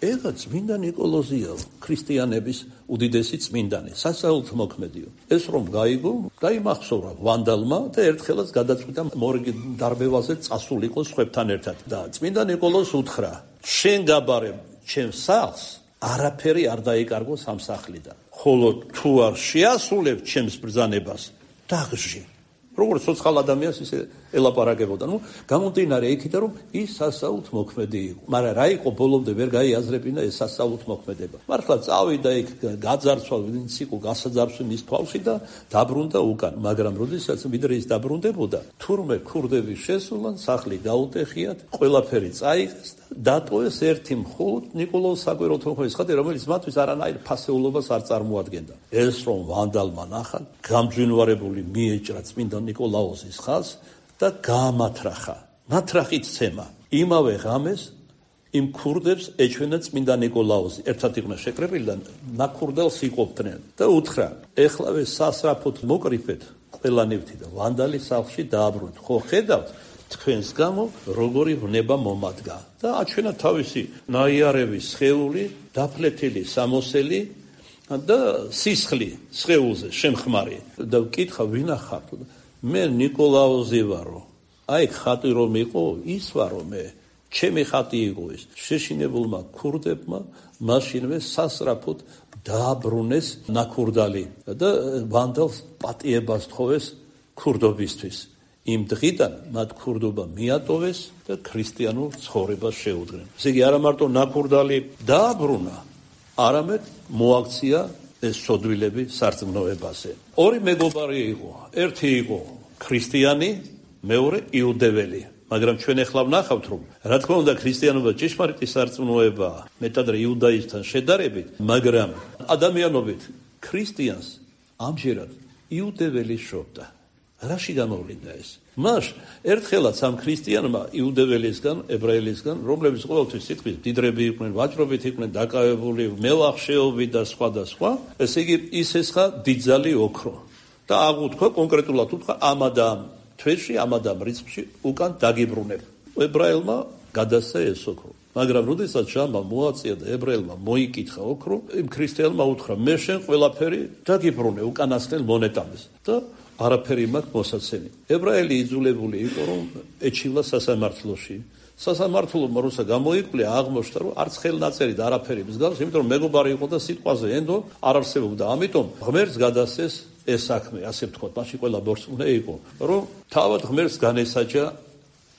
ეგა წმინდა ნიკოლოზია, ქრისტიანების უდიდესი წმინდანი, სასაულთო მოქმედიო. ეს რომ გაიგო, დაიმახსოვრა ვანდალმა და ერთხელაც გადაწყვიტა მორიგი დარბევაზე წასულიყო სხვებთან ერთად. და წმინდა ნიკოლოზს უთხრა, შენ გაბარე ჩემს სახლს, არაფერი არ დაიკარგო სამსახლიდან. ხოლო თუ არ შეასრულებ ჩემს ბრძანებას, დაღჟი. როგორც ცოცხალ ადამიანს ისე ელაპარაკებოდა. გამომდინარე იქიდან, რომ ის სასაულთ მოქმედი იყო. მაგრამ რა იყო ბოლომდე ვერ გაიაზრებინა ეს სასაულთ მოქმედება. მართლა წავიდა იქ, გაძარცვა, ვინც იყო გასაძარცვა მის თვალში და დაბრუნდა უკან. მაგრამ როდესაც ვიდრე ის დაბრუნდებოდა, თურმე ქურდები შესულან, სახლი გაუტეხიათ, ყველაფერი წაიღეს და დატოვეს ერთი მხოლოდ ნიკოლოზ საკვირველთმოქმედის ხატი, რომელიც მათთვის არანაირ ფასეულობას არ წარმოადგენდა. ეს რომ ვანდალმა ნახა, გამძვინვარებული მიეჭრა წმინდა ნიკოლაოსის ხაზს და გაამათრახა. ნათრახით ცემა. იმავე ღამეს იმ ქურდებს ეჩვენა წმინდა ნიკოლაოსი. ერთად იყვნენ შეკრებილი და ნაქურდელს იყოფდნენ და უთხრა, ეხლავე სასრაფოდ მოკრიფეთ ყველანივთი და ვანდალი სახლში დააბრუნეთ. ხო ხედავთ თქვენს გამო როგორი ვნება მომადგა და აჩვენა თავისი ნაიარევი სხეული, დაფლეთილი სამოსელი და სისხლი სხეულზე შემხმარი და ვკითხა ვინა ხართ? მე ნიკოლაოზი ვარო. აი ხატი რომ იყო, ის ვარო მე. ჩემი ხატი იყო ის. შეშინებულმა ქურდებმა მაშინვე სასრაფოდ დააბრუნეს ნაქურდალი და ვანდალს პატიებას თხოვეს ქურდობისთვის. იმ დღიდან მათ ქურდობა მიატოვეს და ქრისტიანულ ცხოვრებას შეუდგნენ. ესე იგი არა მარტო ნაქურდალი დააბრუნა, არამედ მოაქცია ეს სოდვილები სარწმუნოებაზე. ორი მეგობარი იყო. ერთი იყო ქრისტიანი, მეორე იუდეველი. მაგრამ ჩვენ ახლა ვნახავთ, რომ რა თქმა უნდა ქრისტიანობა ჭეშმარიტი სარწმუნოებაა, მეტად იუდაიზმთან შედარებით, მაგრამ ადამიანობით ქრისტიანს ამჯერად იუდეველი შობდა. რაში გამოვლინდა ეს? მას ერთხელაც ამ ქრისტიანმა იუდეველისგან, ებრაელისგან, რომლებიც ყოველთვის სიტყვის დიდრები იყვნენ, ვაჭრობით იყვნენ დაკავებული, მელახშეობით და სხვა და სხვა, ესე იგი ის ესხა დიდძალი ოქრო. და აღუთქვა კონკრეტულად უთქვა ამა და ამ თვეში, ამა და ამ რიცხვში უკან დაგიბრუნებ. ებრაელმა გადასცა ეს ოქრო. მაგრამ როდესაც ჟამბა მოაწია და ებრაელმა მოიკითხა ოქრო, იმ ქრისტიანმა უთხრა, მე შენ ყველაფერი დაგიბრუნე უკანასკნელ მონეტამეს და არაფერი მაქვს მოსაცემი. ებრაელი იძულებული იყო, რომ ეჩივლა სასამართლოში. სასამართლომ როცა გამოიკვლა, აღმოჩნდა, რომ არც ხელნაწერი და არაფერი მსგავს, იმიტომ რომ მეგობარი იყო და სიტყვაზე ენდო არ არსებობდა. ამიტომ ღმერთს გადასცეს ეს საქმე, ასე ვთქვათ, მაშინ ყველა მორწმუნე იყო, რომ თავად ღმერთს განესაჯა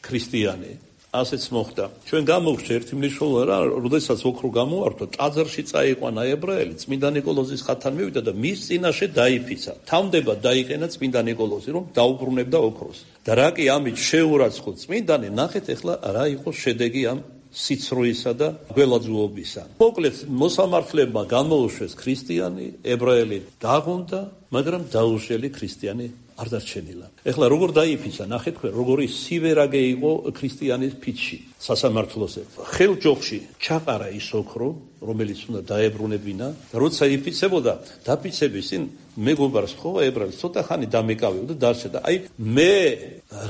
ქრისტიანი. ასეც მოხდა. ჩვენ გამოვხდა ერთი მნიშვნელოვანი რა, როდესაც ოქრო გამოვართვა, ტაძარში წაიყვანა ებრაელი, წმინდა ნიკოლოზის ხატთან მივიდა და მის წინაშე დაიფიცა. თავდება დაიყენა წმინდა ნიკოლოზი, რომ დაუბრუნებდა ოქროს. და რა კი ამით შეურაცხო წმინდანი, ნახეთ ახლა რა იყო შედეგი ამ სიცრუისა და გველაძუობისა. მოკლედ მოსამართლებმა გამოუშვეს ქრისტიანი, ებრაელი დაღუნდა, მაგრამ დაუშველი ქრისტიანი არ დარჩენილა. ეხლა როგორ დაიფიცა, ნახეთ თქვენ, როგორი სივერაგე იყო ქრისტიანის ფიცში, სასამართლოზე. ხელჯოხში ჩაყარა ის ოქრო, რომელიც უნდა დაებრუნებინა, როცა იფიცებოდა, დაფიცების წინ მეგობარს ხოვა ებრაელს, ცოტა ხანი დამეკავებოდა და დარჩა. აი მე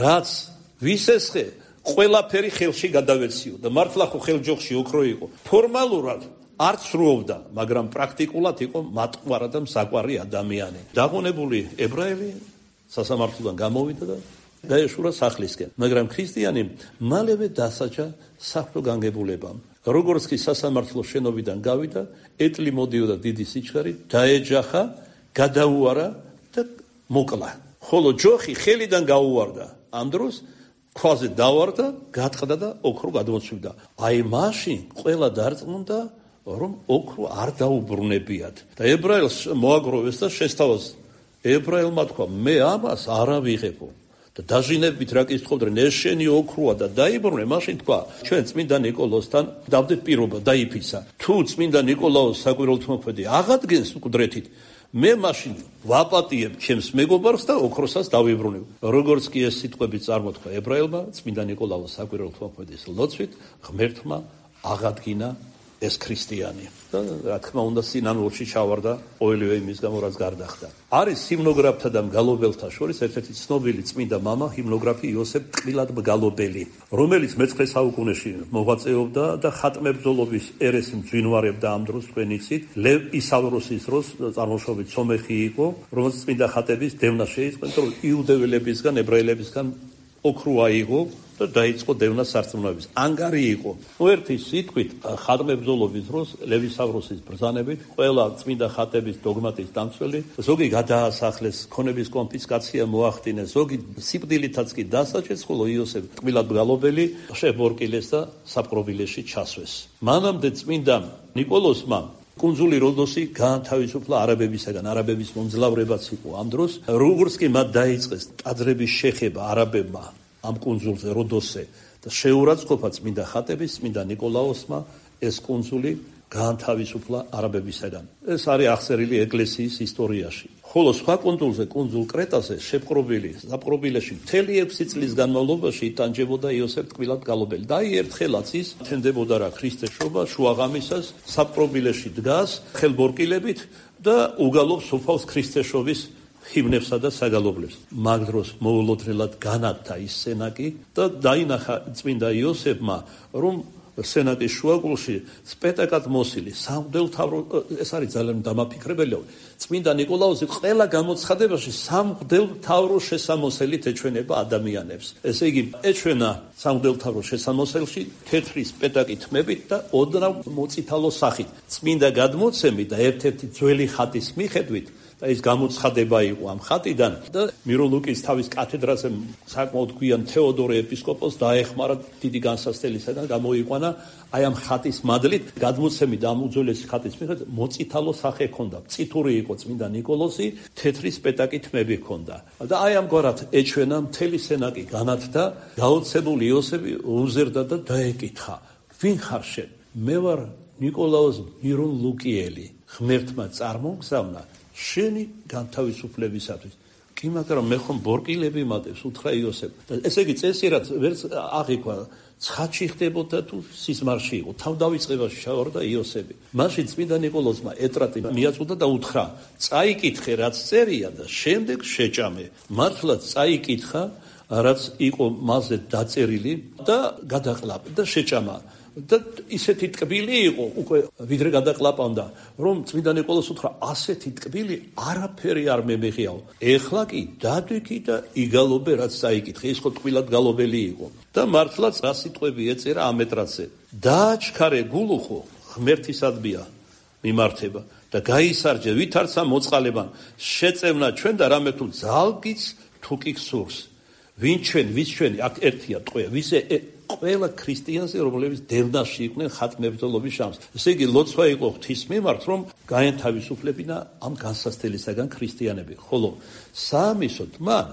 რაც ვისესხე, ყველაფერი ხელში გადავეციო და მართლა ხო ხელჯოხში ოქრო იყო. ფორმალურად არ ცრუობდა, მაგრამ პრაქტიკულად იყო მატყუარა და მსაყვარი ადამიანი. დაღონებული ებრაელი სასამართლოდან გამოვიდა და დაეშურა სახლისკენ. მაგრამ ქრისტიანი მალევე დასაჯა საქმრო განგებულებამ. როგორც კი სასამართლო შენობიდან გავიდა, ეტლი მოდიოდა დიდი სიჩქარით, დაეჯახა, გადაუარა და მოკლა. ხოლო ჯოხი ხელიდან გაუვარდა. ამ დროს ქვაზე დავარდა, გატყდა და ოქრო გადმოცვიდა. აი მაშინ ყველა დარწმუნდა, რომ ოქრო არ დაუბრუნებიათ. და ებრაელს მოაგროვეს და შესთავაზა. ებრაელმა თქვა, მე ამას არ ავიღებო. და დაჟინებით რა კითხავდნენ, ეს შენი ოქროა და დაიბრუნე, მაშინ თქვა, ჩვენ წმინდა ნიკოლოსთან დავდეთ პირობა, დაიფიცა. თუ წმინდა ნიკოლაოს საკვირველთმოქმედი აღადგენს მკვდრეთით, მე მაშინ ვაპატიებ ჩემს მეგობარს და ოქროსაც დავიბრუნებ. როგორც კი ეს სიტყვები წარმოთქვა ებრაელმა, წმინდა ნიკოლაოს საკვირველთმოქმედის ლოცვით ღმერთმა აღადგინა ეს ქრისტიანი. და რა თქმა უნდა სინანულში ჩავარდა ყოველივე იმის გამო, რაც გარდახდა. არის ჰიმნოგრაფთა და მგალობელთა შორის ერთ-ერთი ცნობილი წმინდა მამა, ჰიმნოგრაფი იოსებ ტყილად მგალობელი, რომელიც მე-19 საუკუნეში მოღვაწეობდა და ხატმებრძოლობის ერეს მძვინვარებდა ამ დროს თქვენ იცით. ლევ ისავროსის დროს წარმოშობით სომეხი იყო, რომელიც წმინდა ხატების დევნა შეიწყო, რომ იუდეველებისგან, ებრაელებისგან ოქრო აიღო და დაიწყო დევნა სარწმუნოების. ანგარი იყო. ერთი სიტყვით ხატმებრძოლობის დროს ლევისავროსის ბრძანებით ყველა წმინდა ხატების დოგმატის დამცველი, ზოგი გადაასახლეს, ქონების კონფისკაცია მოახდინეს, ზოგი სიკვდილითაც კი დასაჯეს, ხოლო იოსებ ტყილად მგალობელი შებორკილეს და საპყრობილეში ჩასვეს. მანამდე წმინდა ნიკოლოსმა კუნძული როდოსი გაანთავისუფლა არაბებისაგან, არაბების მომძლავრებაც იყო ამ დროს. როგორც კი მათ დაიწყეს ტაძრების შეხება არაბებმა ამ კუნძულზე როდოსზე და შეურაცხყოფა წმინდა ხატების, წმინდა ნიკოლაოსმა ეს კუნძული გაანთავისუფლა არაბებისაგან. ეს არის აღწერილი ეკლესიის ისტორიაში. ხოლო სხვა კუნძულზე, კუნძულ კრეტაზე, საპყრობილეში მთელი 6 წლის განმავლობაში იტანჯებოდა იოსებ ტყილად მგალობელი. და ერთხელაც ის თენდებოდა რა ქრისტეშობა შუაღამისას საპყრობილეში დგას ხელბორკილებით და უგალობს უფალს ქრისტეშობის ჰიმნებსა და საგალობლებს. მაგ დროს მოულოდნელად განათდა ის სენაკი და დაინახა წმინდა იოსებმა, რომ სენაკის შუაგულში სპეტაკად მოსილი სამღვდელმთავრო, ეს არის ძალიან დამაფიქრებელია. წმინდა ნიკოლაოსი ყველა გამოცხადებაში სამღვდელმთავრო შესამოსელით ეჩვენება ადამიანებს. ესე იგი, ეჩვენა სამღვდელმთავრო შესამოსელში თეთრი სპეტაკი თმებით და ოდნავ მოწითალო სახით. წმინდა გადმოცემით და ერთ-ერთი ძველი ხატის მიხედვით და ის გამოცხადება იყო ამ ხატიდან და მიროლუკის თავის კათედრაზე საკმაოდ გვიან თეოდორე ეპისკოპოსს დაეხმარა დიდი განსასწრებისგან გამოიყვანა აი ამ ხატის მადლით გადმოცემით ამ უძველესი ხატის მიხედვით მოწითალო სახე ჰქონდა. წითური იყო წმინდა ნიკოლოსი, თეთრი სპეტაკი თმები ჰქონდა. და აი ამგვარად ეჩვენა მთელი სენაკი განათდა, გაოცებული იოსები უზერდა და დაეკითხა, ვინ ხარ შენ? მე ვარ ნიკოლაოს მიროლუკიელი. ღმერთმა წარმოგზავნა შენი განთავისუფლებისათვის. კი, მაგრამ მე ხომ ბორკილები მატებს, უთხრა იოსებ. ესე იგი წესი რაც ვერც აღიქვა, ცხადში ხდებოდა თუ სიზმარში იყო. თავდავიწყებაში ჩავარდა იოსები. მაშინ წმინდა ნიკოლოსმა ეტრატი მიაწვდა და უთხრა, წაიკითხე რაც წერია და შემდეგ შეჭამე. მართლაც წაიკითხა რაც იყო მასზე დაწერილი და გადაყლაპა და შეჭამა. და ისეთი ტკბილი იყო უკვე ვიდრე გადაყლაპავდა, რომ წმინდა ნიკოლოს უთხრა, ასეთი ტკბილი არაფერი არ მემეღიაო. ეხლა კი დადვიქი და იგალობე რაც წაიკითხე. ის ხო ტკბილად გალობელი იყო. და მართლაც რა სიტყვები ეწერა ამ ეტრატზე. დააჩქარე გულუხო ღმერთისადმია მიმართება და გაისარჯე ვითარცა მოწყალებან. შეწევნა ჩვენ და რამე თუ ძალგიც თუ კი გსურს. ვინ ჩვენ, ვის ჩვენი, აქ ერთია ტყვია, ვისე ყველა ქრისტიანზე, რომლებიც დევნაში იყვნენ ხატმებრძოლობის შამს. ესე იგი, ლოცვა იყო ღვთის მიმართ, რომ გაენთავისუფლებინა ამ განსასწრებისაგან ქრისტიანები. ხოლო საამისოდ მან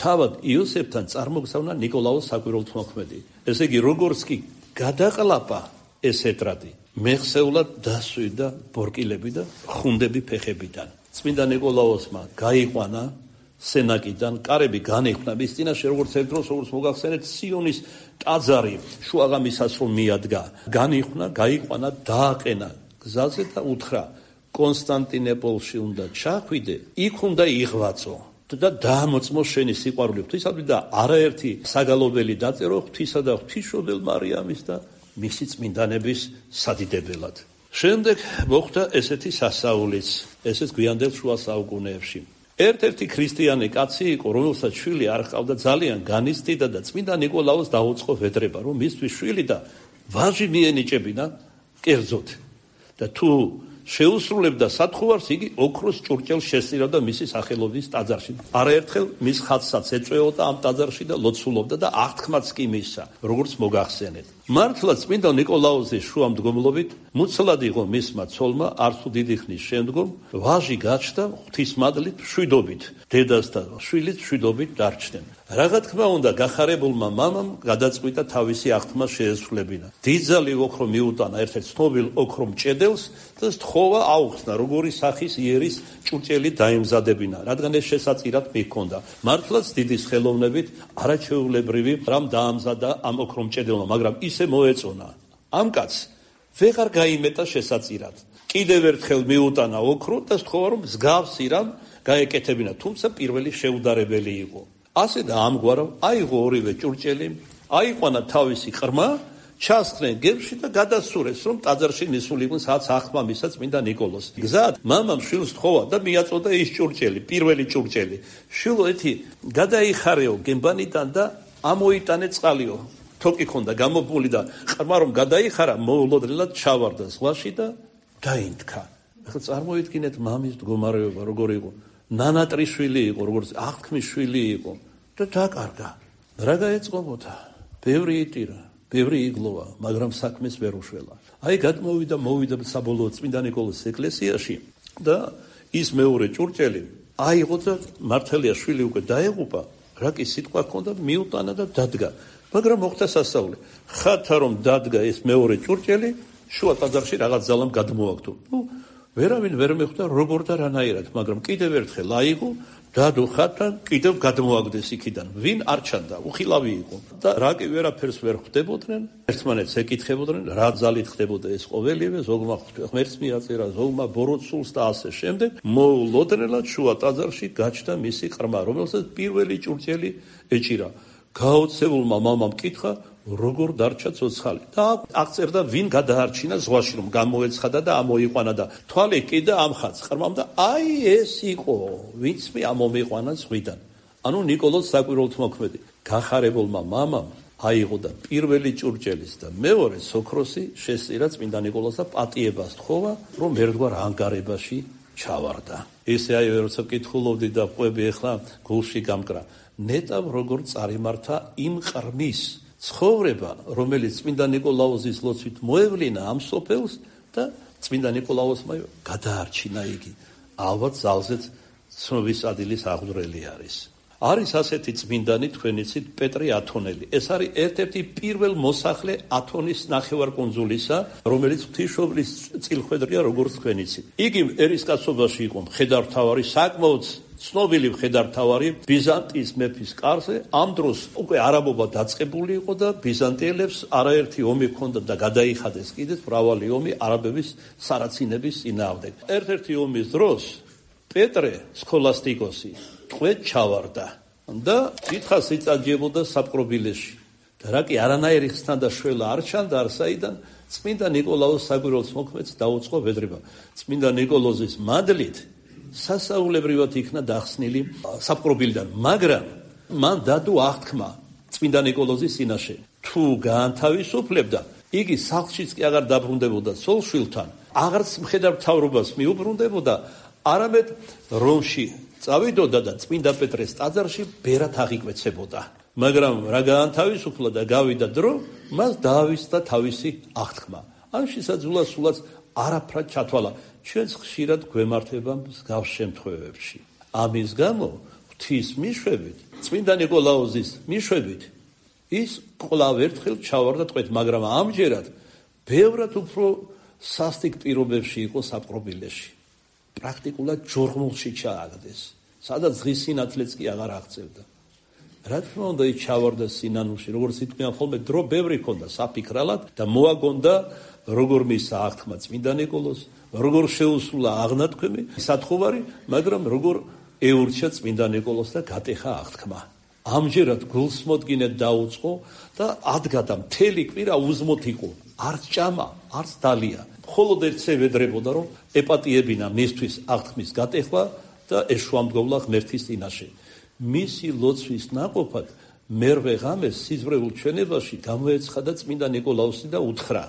თავად იოსებთან წარმოგზავნა ნიკოლაოს საკვირველთმოქმედი. ესე იგი, როგორც კი გადაყლაპა ეს ეტრატი, მეხსეულად დასვიდა ბორკილები და ხუნდები ფეხებიდან. წმინდა ნიკოლაოსმა გაიყვანა სენაკიდან, კარები განეხვნა მის წინაშე, როგორც ერთ დროს, როგორც მოგახსენეთ, სიონის ტაძარი შუაღამისას რომ მიადგა, განიხვნა, გაიყვანა, დააყენა გზაზე და უთხრა, კონსტანტინოპოლში უნდა ჩახვიდე, იქ უნდა იღვაწო და დაამოწმო შენი სიყვარული ღვთისადმი და არაერთი საგალობელი დაწერო ღვთისა და ღვთისმშობელ მარიამის და მისი წმინდანების სადიდებელად. შემდეგ მოხდა ესეთი სასაულიც, ესეც გვიანდელ შუა საუკუნეებში. ერთ-ერთი ქრისტიანი კაცი იყო, რომელსაც შვილი არ ჰყავდა, ძალიან განიცდიდა და წმინდა ნიკოლაოს დაუწყო ვედრება, რომ მისთვის შვილი და ვაჟი მიენიჭებინა კერძოდ და თუ შეუსრულებდა სათხოვარს, იგი ოქროს ჭურჭელს შესწირავდა მისი სახელობის ტაძარში. არაერთხელ მის ხატსაც ეწვეოდა ამ ტაძარში და ლოცულობდა და აღთქმაც კი მისცა, როგორც მოგახსენეთ. მართლა წმინდა ნიკოლაოზის შუამდგომლობით მუცლად იყო მისმა ცოლმა არც დიდი ხნის შემდგომ ვაჟი გაჩნდა ღვთისმადლით მშვიდობით, დედას და შვილიც მშვიდობით დარჩნენ. რაღა თქმა უნდა გახარებულმა მამამ გადაწყვიტა თავისი აღთქმა შეესრულებინა. დიდძალი ოქრო მიუტანა ერთ-ერთ ცნობილ ოქრო მჭედელს და სთხოვა აუხსნა, როგორი სახის იერის ჭურჭელი დაემზადებინა, რადგან ეს შესაწირად მიჰქონდა. მართლაც დიდი ხელოვნებით არაჩვეულებრივი რამ დაამზადა ამ ოქრო მჭედელმა, მაგრამ ისე მოეწონა. ამ კაცს ვეღარ გაიმეტა შესაწირად. კიდევ ერთხელ მიუტანა ოქრო და სთხოვა, რომ მსგავსი რამ გაეკეთებინა, თუმცა პირველი შეუდარებელი იყო. ასე და ამგვარად აიღო ორივე ჭურჭელი, აიყვანა თავისი ყრმა, ჩასხდნენ გებში და გადასურეს, რომ ტაძარში ნისულიყვნენ, სადაც აღთქმა მისცა წმინდა ნიკოლოზს. გზად მამამ შვილს თხოვა და მიაწოდა ის ჭურჭელი, პირველი ჭურჭელი. შვილო, ეთი გადაიხარეო გემბანიდან და ამოიტანე წყალიო. თოკი ქონდა გამოფული და ყრმა რომ გადაიხარა, მოულოდნელად ჩავარდა ზღვაში და დაინთქა. ახლა წარმოიდგინეთ მამის მდგომარეობა როგორი იყო. ნანატრის შვილი იყო, როგორც აღთქმის შვილი იყო და დაკარგა. რა გაეწყობოდა? ბევრი იტირა, ბევრი იგლოვა, მაგრამ საქმეს ვერ უშველა. აი მოვიდა საბოლოოდ წმინდა ნიკოლოზის ეკლესიაში და ის მეორე ჭურჭელი აიღო და მართალია შვილი უკვე დაეღუპა, რა კი სიტყვა ჰქონდა, მიუტანა და დადგა. მაგრამ მოხდა სასწაული. ხათა რომ დადგა ეს მეორე ჭურჭელი, შუა ტაძარში რაღაც ძალამ გადმოაგდო. ვერავინ ვერ მეხვდა როგორ და რანაირად, მაგრამ კიდევ ერთხელ აიღო, დადო ხათა, კიდევ გადმოაგდეს იქიდან. ვინ არ ჩანდა, უხილავი იყო. და რა კი ვერაფერს ვერ ხვდებოდნენ, ერთმანეთს ეკითხებოდნენ, რა ძალით ხდებოდა ეს ყოველივე, ზოგმა ღმერთს მიაწერა, ზოგმა ბოროტსულს და ასე შემდეგ. მოულოდნელად შუა ტაძარში გაჩნდა მისი ყრმა, რომელსაც პირველი ჭურჭელი ეჭირა. გაოცებულმა მამამ კითხა, როგორ დარჩა ცოცხალი და აღწერდა ვინ გადაარჩინა ზღვაში, რომ გამოეცხადა და ამოიყვანა და თვალი კიდე ამხაც ყრმამ და აი ეს იყო ვინც მე ამომიყვანა ზღვიდან. ანუ ნიკოლოზ საკვირველთმოქმედი გახარებულმა მამამ აიღო და პირველი ჭურჭელის და მეორე ოქროსი შესწირა წმინდა ნიკოლოზს და პატიებას თხოვა, რომ ერთგვარ ანგარებაში ჩავარდა. ესე აი როცა ვკითხულობდი და ყვები ახლა გულში გამკრა, ნეტავ როგორ წარიმართა იმ ყრმის ცხოვრება, რომელიც წმინდა ნიკოლაოზის ლოცვით მოევლინა ამ სოფელს და წმინდა ნიკოლაოზმა გადაარჩინა იგი. ალბათ ძალზეც ცნობის ადილის აღძვრელი არის. არის ასეთი წმინდანი თქვენი ცით პეტრე ათონელი. ეს არის ერთ-ერთი პირველ მოსახლე ათონის ნახევარკუნძულისა, რომელიც ღვთისმშობლის წილხვედრია როგორც თქვენი ცით. იგი ერისკაცობაში იყო მხედართმთავარი, საკმაოდ ცნობილი მხედართმთავარი ბიზანტიის მეფის კარზე. ამ დროს უკვე არაბობა დაწყებული იყო და ბიზანტიელებს არაერთი ომი ჰქონდა და გადაიხადეს კიდეც მრავალი ომი არაბების სარაცინების წინააღმდეგ. ერთ-ერთი ომის დროს პეტრე სქოლასტიკოსი ტყვედ ჩავარდა და დიდხანს იწაჯებოდა საპყრობილეში. და რა კი არანაირი ხსნა და შველა არ ჩანდა არსაიდან წმინდა ნიკოლაოს საკვირველთმოქმედს დაუწყო ვედრება. წმინდა ნიკოლოზის მადლით სასაულებრივად იქნა დახსნილი საპყრობილიდან, მაგრამ მან დადო აღთქმა წმინდა ნიკოლოზის წინაშე. თუ გაანთავისუფლებდა, იგი სახლშიც კი აღარ დაბრუნდებოდა ცოლ-შვილთან, აღარც მხედართმთავრობას მიუბრუნდებოდა, არამედ რომში წავიდოდა და წმინდა პეტრეს ტაძარში ბერად აღიკვეცებოდა. მაგრამ რა გაანთავისუფლა და გავიდა დრო, მას დაავიწყდა თავისი აღთქმა. ამ შესაძლოა სულაც არაფრად ჩათვალა. ჩვენც ხშირად გვემართება მსგავს შემთხვევებში. ამის გამო ღვთის მიშვებით, წმინდა ნიკოლაოზის მიშვებით, ის კვლავ ერთხელ ჩავარდა ტყვედ, მაგრამ ამჯერად ბევრად უფრო სასტიკ პირობებში იყო საპყრობილეში. პრაქტიკულად ჯორღმულში ჩააგდეს, სადაც ღის სინათლეც კი აღარ აღწევდა. რა თქმა უნდა, ის ჩავარდა სინანულში, როგორც იტყვიან ხოლმე, დრო ბევრი ჰქონდა საფიქრალად და მოაგონდა როგორ მისცა აღთქმა წმინდა ნიკოლოზს, როგორ შეუსრულა აღნათქვამი, სათხოვარი, მაგრამ როგორ ეურჩა წმინდა ნიკოლოზს და გატეხა აღთქმა. ამჯერად გულსმოდგინედ დაუწყო და ადგა და მთელი კვირა узმოთ იყო. არც ჭამა, არც დალია. მხოლოდ ერთზე ვედრებოდა, რომ ეპატიებინა მისთვის აღთქმის გატეხვა და ეშუამდგომლა ღმერთის წინაშე. მისი ლოცვის ნაყოფად მერვე ღამეს სიზმრებულ ჩვენებაში გამოეცხადა წმინდა ნიკოლაუსი და უთხრა.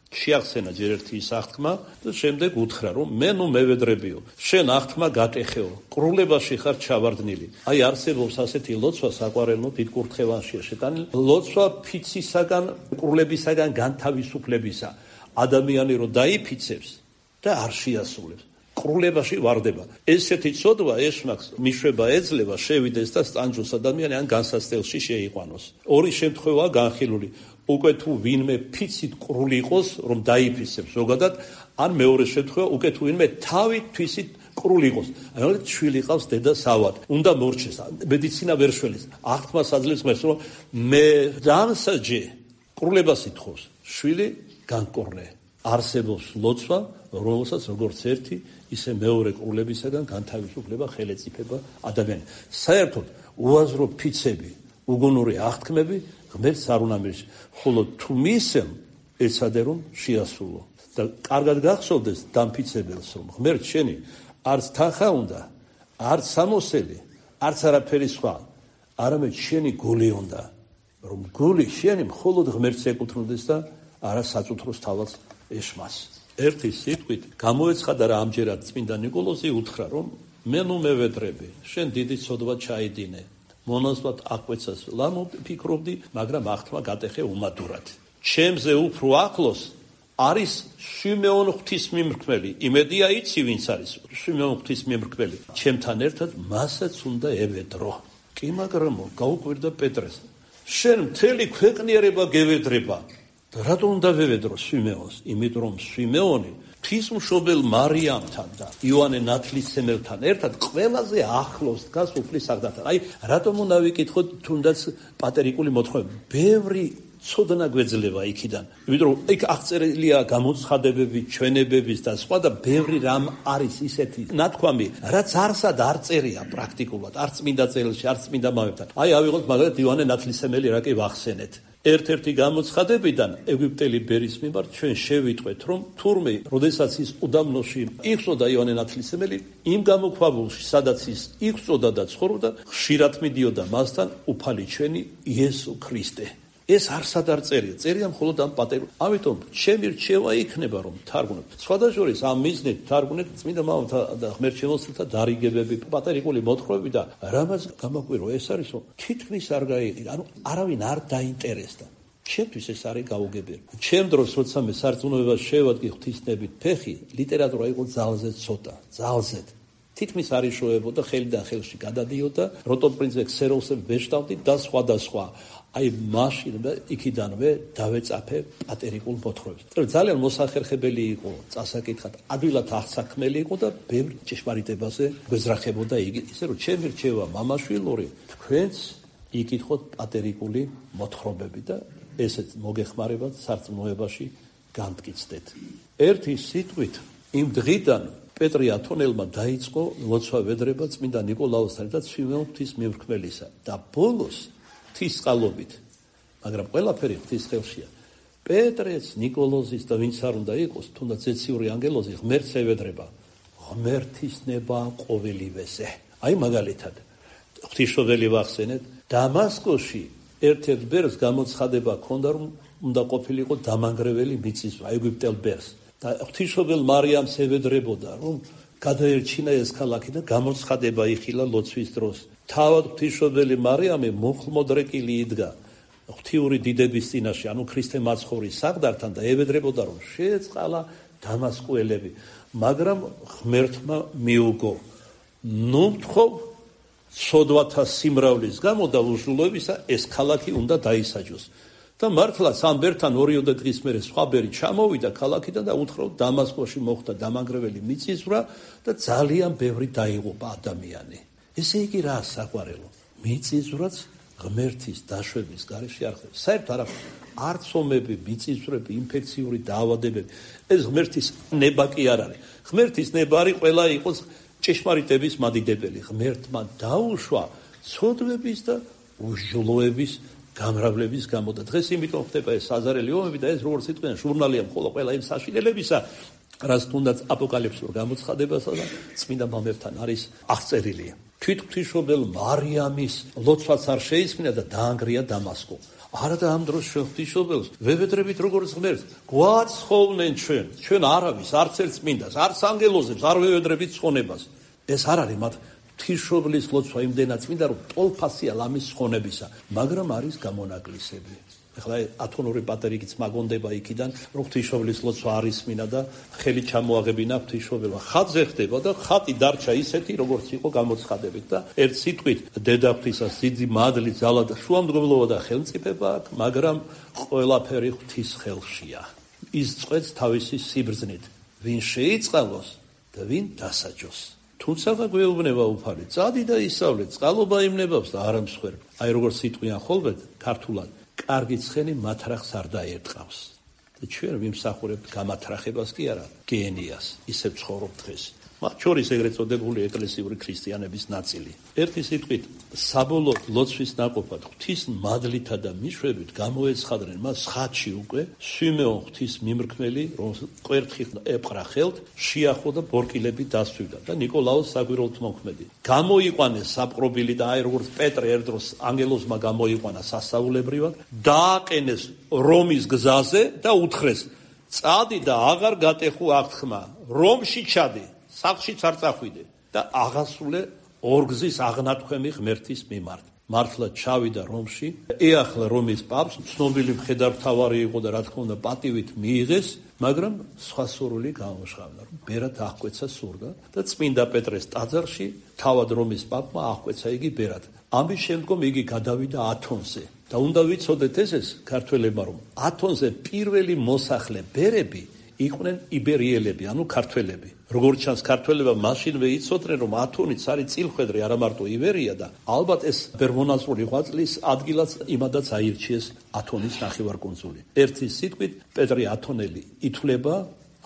შეახსენა ჯერ ერთი ის აღთქმა და შემდეგ უთხრა, რომ მე ნუ მევედრებიო, შენ აღთქმა გაკეხეო, ყრულებაში ხარ ჩავარდნილი. აი არსებობს ასეთი ლოცვა საყვარელო დიდ კურთხევანშია შეტანილი, ლოცვა ფიცისაგან, ყრულებისაგან განთავისუფლებისა. ადამიანი რო დაიფიცებს და არ შეასრულებს. ყრულებაში ვარდება. ესეთი ცოდვა ეშმაკს მიშვება ეძლევა შევიდეს და სტანჯოს ადამიანი ან განსასწელში შეიყვანოს. ორი შემთხვევაა განხილული. უკვე თუ ვინმე ფიცით ყრული იყოს, რომ დაიფიცებს ზოგადად, ან მეორე შემთხვევა უკვე თუ ვინმე თავით თვისით ყრული იყოს. ანუ შვილი ყავს დედა სავად. უნდა მორჩეს. მედიცინა ვერ შველის. აღთქმას აძლევს ღმერთს, რომ მე დამსაჯე ყრულებას ითხოვს. შვილი განკორნე. არსებობს ლოცვა, რომელსაც როგორც ერთი, ისე მეორე ყრულებისაგან განთავისუფლება ხელეწიფება ადამიანი. საერთოდ უაზრო ფიცები, უგუნური აღთქმები ღმერთს არ უნდა მირჩ, ხოლო თუ მისცემ ეცადე რომ შეასრულო. და კარგად გახსოვდეს დამფიცებელს, რომ ღმერთ შენი არც თანხა უნდა, არც სამოსელი, არც არაფერი სხვა, არამედ შენი გული უნდა, რომ გული შენი მხოლოდ ღმერთს ეკუთვნოდეს და არა საწუთროს თავად ეშმას. ერთი სიტყვით გამოეცხადა რა ამჯერად წმინდა ნიკოლოზი უთხრა, რომ მე ნუ მევედრები, შენ დიდი ცოდვა ჩაიდინე. მონაზვნად აკვეცას ლამო ფიქრობდი, მაგრამ აღთქმა გატეხე უმადურად. ჩემზე უფრო ახლოს არის შიმეონ ღვთისმიმრქმელი. იმედია იცი ვინც არის შიმეონ ღვთისმიმრქმელი. ჩემთან ერთად მასაც უნდა ევედრო. კი მაგრამ გაუკვირდა პეტრეს. შენ მთელი ქვეყნიერება გევედრება. და რატომ უნდა ვევედრო შიმეონს? იმიტომ რომ შიმეონი ღვთისმშობელ მარიამთან და იოანე ნათლისმცემელთან ერთად ყველაზე ახლოს დგას უფლის საგდასთან. აი, რატომ უნდა ვიკითხოთ თუნდაც პატერიკული მოთხოვნა? ბევრი ცოდნა გვეძლება იქიდან. იმიტომ რომ იქ აღწერილია გამოცხადებები, ჩვენებების და სხვა და ბევრი რამ არის ისეთი ნათქვამი, რაც არსად არ წერია პრაქტიკულად, არც წმინდა წერილში, არც წმინდა მამებთან. აი, ავიღოთ მაგალითად იოანე ნათლისმცემელი რა კი ვახსენეთ. ერთ-ერთი გამოცხადებიდან ეგვიპტელი ბერის მიმართ ჩვენ შევიტყვეთ, რომ თურმე, როდესაც ის უდაბნოში იხსოდა იოანე ნათლისმცემელი, იმ გამოქვაბულში, სადაც ის იხსოდა და ცხოვრობდა, ხშირად მიდიოდა მასთან უფალი ჩვენი იესო ქრისტე. ეს არსად არ წერია, წერია მხოლოდ ამ პატერიკულ. ამიტომ ჩემი რჩევა იქნება, რომ თარგმნოთ. სხვადასხვა ამ მიზნით თარგმნეთ წმინდა მამათა და ღმერთშემოსილთა დარიგებები, პატერიკული მოთხრობები და რამაც გამაკვირვა ეს არის, რომ თითქმის არ გაიყიდა, ანუ არავინ არ დაინტერესდა. ჩემთვის ეს არის გაუგებარი. ჩემ დროს, როცა მე სარწმუნოებას შევადგე ღვთისნებით ფეხი, ლიტერატურა იყო ძალზე ცოტა, ძალზე. თითქმის არ იშოვებოდა, ხელიდან ხელში გადადიოდა, როტოპრინცე ქსეროსზე ვეშტავდი და სხვა. აი მაშინ იქიდანვე დავეწაფე პატერიკულ მოთხრობებს. ძალიან მოსახერხებელი იყო წასაკითხად, ადვილად აღსაქმელი იყო და ბევრ ჭეშმარიტებაზე გვეძრახებოდა იგი. ისე რომ ჩემი რჩევა მამაშვილური, თქვენც იკითხოთ პატერიკული მოთხრობები და ესეც მოგეხმარებათ სარწმუნოებაში განმტკიცდეთ. ერთი სიტყვით იმ დღიდან პეტრე ათონელმა დაიწყო ლოცვა ვედრება წმინდა ნიკოლაუსთან და შიმეონ ღვთისმიმრქმელისა და ბოლოს ღვთისწყალობით, მაგრამ ყველაფერი ღვთის ხელშია. პეტრეც, ნიკოლოზის და ვინც არ უნდა იყოს, თუნდაც ეციური ანგელოზი ღმერთს ევედრება. ღმერთის ნება ყოველივეზე. აი მაგალითად, ღვთისმშობელი ვახსენეთ, დამასკოში ერთ-ერთ ბერს გამოცხადება ჰქონდა, რომ უნდა ყოფილიყო დამანგრეველი მიწისძვრა ეგვიპტელ ბერს. და ღვთისმშობელ მარიამს ევედრებოდა, რომ გადაერჩინა ეს ქალაქი და გამოცხადება იხილა ლოცვის დროს. თავად ღვთისმშობელი მარიამი მუხლმოდრეკილი იდგა ღვთიური დიდების წინაშე, ანუ ქრისტე მაცხოვრის საგდართან და ევედრებოდა, რომ შეეწყალა დამასკოელები, მაგრამ ღმერთმა მიუგო. ნუ მთხოვ ცოდვათა სიმრავლის გამო და უჟულოებისა ეს ქალაქი უნდა დაისაჯოს. და მართლაც ამ ბერთან 2 დღის მერე სხვა ბერი ჩამოვიდა ქალაქიდან და უთხრა, დამასკოში მოხდა დამანგრეველი მიწისძვრა და ძალიან ბევრი დაიღუპა ადამიანი. ესე იგი რა საყვარელო? მიწისძვრაც ღმერთის დაშვების გარეშე არ ხდება. საერთოდ არც ომები, მიწისძვრები, ინფექციური დაავადებები, ეს ღმერთის ნება კი არ არის. ღმერთის ნება არის ყველა იყოს ჭეშმარიტების მადიდებელი. ღმერთმა დაუშვა ცოდვების და უჟლოების გამრავლების გამო და დღეს იმიტომ ხდება ეს საზარელი ომები და ეს როგორც იტყვიან ჟურნალია მხოლოდ ყველა იმ საშინელებისა, რაც თუნდაც აპოკალიფსურ გამოცხადებასა და წმინდა მამებთან არის აღწერილი. თვითღვთისმშობელ მარიამის ლოცვაც არ შეისმინა და დაანგრია დამასკო. არა და ამ დროს ღვთისმშობელს ვებედრებით როგორც ღმერთს გვაცხოვნენ ჩვენ არავის, არც ერთ წმინდას, არც ანგელოზებს არ ვევედრებით ცხონებას. ეს არ არის მათ ღვთისმშობლის ლოცვა იმდენად წმინდა, რომ ტოლფასია ლამის ცხონებისა, მაგრამ არის გამონაკლისები. ეხლა ათონური პატერიკიც მაგონდება იქიდან, რომ ღვთისმშობლის ლოცვა არ ისმინა და ხელი ჩამოაღებინა ღვთისმშობელმა. ხატზე ხდება და ხატი დარჩა ისეთი, როგორც იყო გამოცხადებით და ერთ სიტყვით დედაღვთისას დიდი მადლი, ძალა და შუამდგომლობა და ხელმწიფება აქვს, მაგრამ ყველაფერი ღვთის ხელშია. ის წვეთს თავისი სიბრძნით, ვინ შეიწყალოს და ვინ დასაჯოს. თუმცა გვეუბნება უფალი, წადი და ისავლე, წყალობა იმნებავს და არ ამსხვერპ. აი როგორც სიტყვიან ხოლმე ქართულად, კარგი ცხენი მათრახს არ დაერტყავს. და ჩვენ ვიმსახურებთ გამათრახებას კი არა, გენიას, ისევ ცხოვრობთ დღეს. მათ შორის ეგრეთ წოდებული ეკლესიური ქრისტიანების ნაწილი. ერთი სიტყვით, საბოლოოდ ლოცვის ნაკოფად ღვთის მადლითა და მიშვებით გამოეცხადნენ მას ხატში უკვე სვიმეონ ღვთის მიმრქმელი, რომ კვერთხით ეპყრა ხელთ, შეახო და ბორკილები დასვივდა და ნიკოლაოს საგვირელთმოქმედი. გამოიყვანეს საპყრობილი და აი როგორც პეტრე ერთ დროს ანგელოზმა გამოიყვანა სასაულებრივად, დააყენეს რომის გზაზე და უთხრეს: წადი და აღარ გატეხუ აღთქმა, რომში ჩადი. სახლშიც არ წახვიდე და აღასრულე ორგზის აღნათქვემი ღმერთის მიმართ. მართლა ჩავიდა რომში, ეახლა რომის პაპს, ცნობილი მხედართმთავარი იყო და რა თქმა უნდა პატივით მიიღეს, მაგრამ სხვა სურვილი გამოშღავდა, რომ ბერად აღკვეცა სურდა და წმინდა პეტრეს ტაძარში თავად რომის პაპმა აღკვეცა იგი ბერად. ამის შემდგომ იგი გადავიდა ათონზე და უნდა ვიცოდეთ ეს ქართველებმა, რომ ათონზე პირველი მოსახლე ბერები იყვნენ იბერიელები, ანუ ქართველები. როგორც ჩანს, ქართველებმა მაშინვე იცოდნენ, რომ ათონიც არის წილხვედრი, არა მარტო იბერია და ალბათ ეს ბერმონაზრული ღვაწლის ადგილაც იმადაც აირჩიეს ათონის ნახევარკუნძული. ერთი სიტყვით, პეტრე ათონელი ითვლება,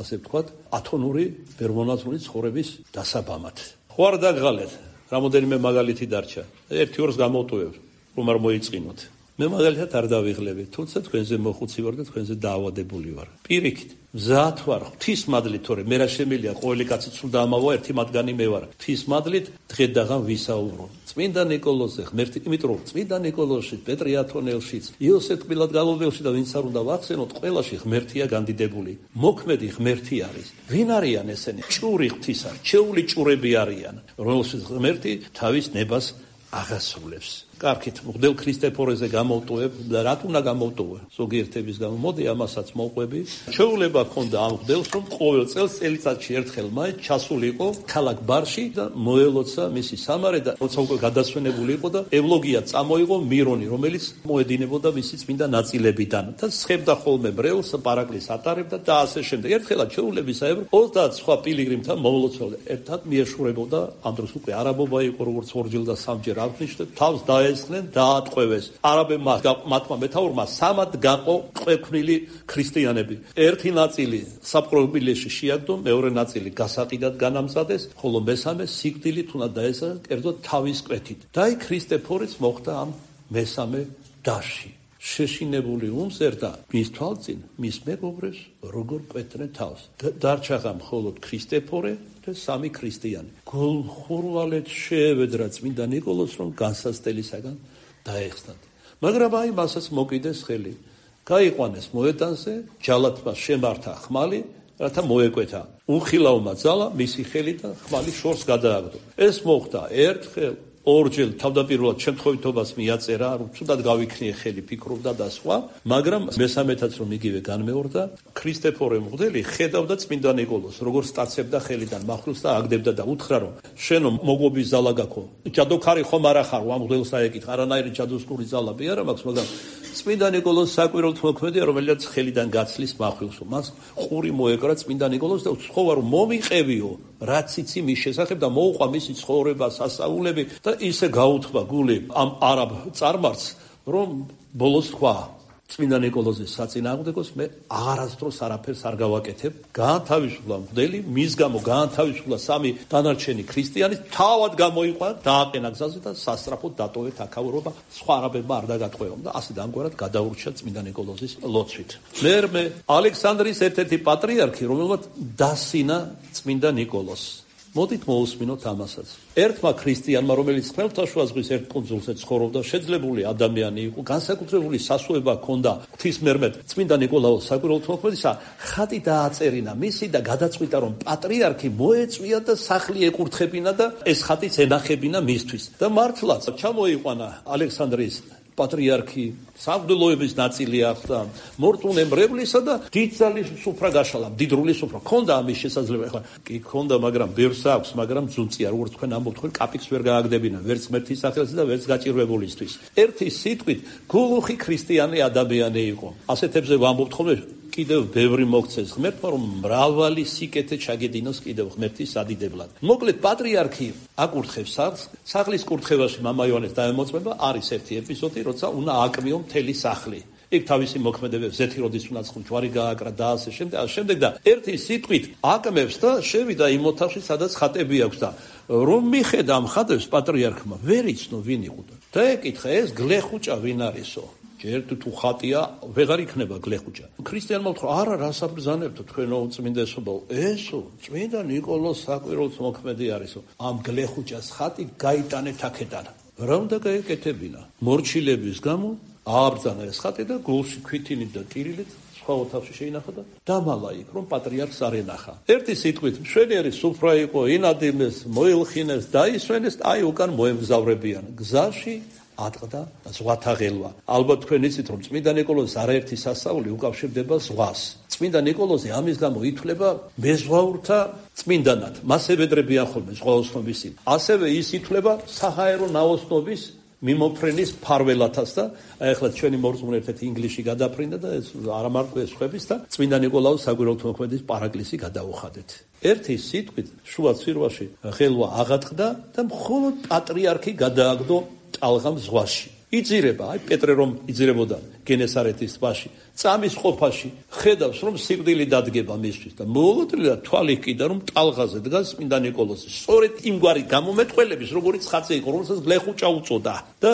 ასე ვთქვათ, ათონური ბერმონაზრული ცხოვრების დასაბამად. ხო არ დაგღალეთ, რამოდენიმე მაგალითი დარჩა. ერთი-ორს გამოვტოვებ, რომ არ მოიწყინოთ. მე მაგალითად არ დავიღლები, თუმცა თქვენზე მოხუცი ვარ და თქვენზე დაავადებული ვარ. პირიქით, მზად ვარ ღვთის მადლით, თორე მე რა შემიძლია, ყოველი კაცი სულ დაამავა, ერთი მათგანი მე ვარ. ღვთის მადლით დღე-დაღამ ვისაუბრო. წმინდა ნიკოლოზზე ღმერთი, იმიტომ რომ წმინდა ნიკოლოზში, პეტრე ათონელშიც, იოსებ ყბილადგალობელში და ვინც არ უნდა ვახსენოთ, ყველაში ღმერთია განდიდებული. მოქმედი ღმერთი არის. ვინ არიან ესენი? ჭური ღვთისა, რჩეული ჭურები არიან, რომელშიც ღმერთი თავის ნებას აღასრულებს. კარგით, მღვდელ ქრისტეფორეზე გამოვტოვებ და რა უნდა გამოვტოვე? ზოგიერთების გამო, მოდი ამასაც მოვყვები. შეუძლება ქონდა ამ მღვდელს, რომ ყოველ წელს წელიწადში ერთხელ მაინც ჩასულიყო ქალაქ ბარში და მოელოცა მისი სამარე და როცა უკვე გადასვენებული იყო და ევლოგია წამოიღო მირონი, რომელიც მოედინებოდა მისი წმინდა ნაწილებიდან და სხებდა ხოლმე ბრელს, პარაკლის ატარებდა და ასე შემდეგ. ერთხელაც შეუძლებისაებრ 30 სხვა პილიგრიმთან მოულოცავდა. ერთად მიეშურებოდა, ამ დროს უკვე არაბობა იყო, როგორც ორჯერ და სამჯერ აღნიშნეთ, თავს ესხნენ დაატყვევეს. არაბებმა მათმა მეთაურმა სამად გაყო ყვექვილი ქრისტიანები. ერთი ნაწილი საპყრობილეში შეაგდო, მეორე ნაწილი გასაყიდად განამზადეს, ხოლო მესამე სიკვდილით უნდა დაესახა, კერძოდ თავის კვეთით. და აი ქრისტეფორეც მოხდა ამ მესამე დასში. შეშინებული უმზერდა მის თვალწინ მის მეგობრებს როგორ კვეთდნენ თავს. დარჩა მხოლოდ ქრისტეფორე და სამი ქრისტიანი. გულხურვალეთ შეევედრა წმინდა ნიკოლოზს, რომ განსასწელისაგან დაეხსნათ. მაგრამ აი მასაც მოკიდეს ხელი. გაიყვანეს მოედანზე, ჯალათმა შემართა ხმალი, რათა მოეკვეთა. უხილავმა ძალა მისი ხელიდან ხმალი შორს გადააგდო. ეს მოხდა ერთხელ, ორჯერ, თავდაპირველად შემთხვევითობას მიაწერა, რომ ცუდად გავიქნიე ხელი, ფიქრობდა და სხვა, მაგრამ მესამეთაც რომ იგივე განმეორდა, ქრისტეფორე მღვდელი ხედავდა წმინდა ნიკოლოზს, როგორ სტაცებდა ხელიდან მახვილს და აგდებდა და უთხრა, რომ შენო მოგობის ზალა გაქო. ჯადოქარი ხომ არ ახარ, ამ მღვდელს აეკითხა, არანაირი ჯადოსნური ზალები არა მაქვს, მაგრამ წმინდა ნიკოლოზ საკვირველთმოქმედია, რომელსაც ხელიდან გაცლის მახვილსო. მას ყური მოეკრა წმინდა ნიკოლოზს და უთხოვა, რომ მომიყევიო, რაც იცი მის შესახებ და მოუყვა მისი ცხოვრება, სასაულები და ისე გაუთქვა გული ამ არაბ წარმართს, რომ ბოლოს თქვა: წმინდა ნიკოლოზის საწინააღმდეგოს მე აღარასდროს არაფერს არ გავაკეთებ. გაანთავისუფლა მღვდელი, მის გამო გაანთავისუფლა სამი დანარჩენი ქრისტიანი, თავად გამოიყვა, დააყენა გზაზე და სასწრაფოდ დატოვეთ აქაურობა, სხვა არაბებმა არ დაგატყვევამ და ასე დამგვარად გადაურჩა წმინდა ნიკოლოზის ლოცვით. მე ალექსანდრიის ერთ-ერთი პატრიარქი, რომელმაც დასინა წმინდა ნიკოლოზს. მოდით მოусმინოთ ამასაც. ერთმა ქრისტიანმა, რომელიც ხმელთაშუა ზღვის ერთ კუნძულზე ცხოვრობდა, შეძლებული ადამიანი იყო, განსაკუთრებული სასუება ჰქონდა ღვთისმერმედ წმინდა ნიკოლაოს საკვირველთმოქმედისა, ხატი დააწერინა მისი და გადაწყვიტა, რომ პატრიარქი მოეწვია და სახლი ეკურთხებინა და ეს ხატიც ენახებინა მისთვის. და მართლაც ჩამოიყვანა ალექსანდრიის პატრიარქი, სამღვდელოების ნაწილი ახლა მორწმუნებრებლისა და დიდძალი სუფრა გაშალა, მდიდრული სუფრა. ქონდა ამის შესაძლებლობა, ახლა კი ქონდა, მაგრამ ბევრს აქვს, მაგრამ ძუნწია, როგორც თქვენ ამბობთ, თქვენ კაპიკს ვერ გააგდებინა, ვერც ღმერთის სახელზე და ვერც გაჭირვებულისთვის. ერთი სიტყვით, გულუხი ქრისტიანი ადამიანი იყო. ასეთებზე ვამბობთ ხოლმე, კიდევ ბევრი მოგცეს ღმერთმა, რომ მრავალი სიკეთე ჩაგედინოს კიდევ ღმერთის სადიდებლად. მოკლედ პატრიარქი აკურთხებს სახლის კურთხევაში მამა იოანეს დაემოწმება, არის ერთი ეპიზოდი, როცა უნდა აკმიო მთელი სახლი. იქ თავისი მოქმედებებს ზეთიროდის უნდა ჯვარი გააკრა და ასე შემდეგ და ერთი სიტყვით აკმევს და შევიდა იმ ოთახში, სადაც ხატები აქვს და რომ მიხედა ამ ხატებს პატრიარქმა, ვერ იცნო ვინ იყო და ეკითხა, ეს გლეხუჭა ვინ არისო? ჯერ თუ ხატია, ვეღარ იქნება გლეხუჭა. ქრისტიანმა უთხრა, არა, რას აბრძანებთო თქვენო უწმინდესობაო, ესო წმინდა ნიკოლოზ საკვირველთმოქმედი არისო. ამ გლეხუჭას ხატი გაიტანეთ აქედან. რა უნდა გაეკეთებინა? მორჩილების გამო ააბრძანა ეს ხატი და გულში ქვითინით და ტირილით სხვა ოთახში შეინახა და დამალა იქ, რომ პატრიარქს არ ენახა. ერთი სიტყვით, მშვენიერი სუფრა იყო, ინადიმეს, მოილხინეს, დაისვენეს, აი უკან მოემგზავრებიან. გზაში ატყდა ზღვათა ღელვა. ალბათ თქვენ იცით, რომ წმინდა ნიკოლოზის არაერთი სასწაული უკავშირდება ზღვას. წმინდა ნიკოლოზი ამის გამო ითვლება მეზღვაურთა წმინდანად. მას ებედრებიან ხოლმე ზღვაოსნობის წინ. ასევე ის ითვლება საჰაერო ნაოსნობის მიმოფრენის ფარველათაც და ახლა ჩვენი მორწმუნე ერთ-ერთი ინგლისში გადაფრინდა და ეს არ ამარტო ეს ხვების და წმინდა ნიკოლაოს საკვირველთმოქმედის პარაკლისი გადაუხადეთ. ერთი სიტყვით შუა ცვირვაში ღელვა აღატყდა და მხოლოდ პატრიარქი გადააგდო ტალღამ ზღვაში. იძირება, აი პეტრე რომ იძირებოდა გენესარეთის ტბაში, წამის ყოფაში ხედავს, რომ სიკვდილი დადგება მისთვის და მოულოდნელად თვალი ჰკიდა, რომ ტალღაზე დგას წმინდა ნიკოლოზი. სწორედ იმგვარი გამომეტყველების, როგორც ხაცე იყო, რომელსაც გლეხუჭა უწოდა და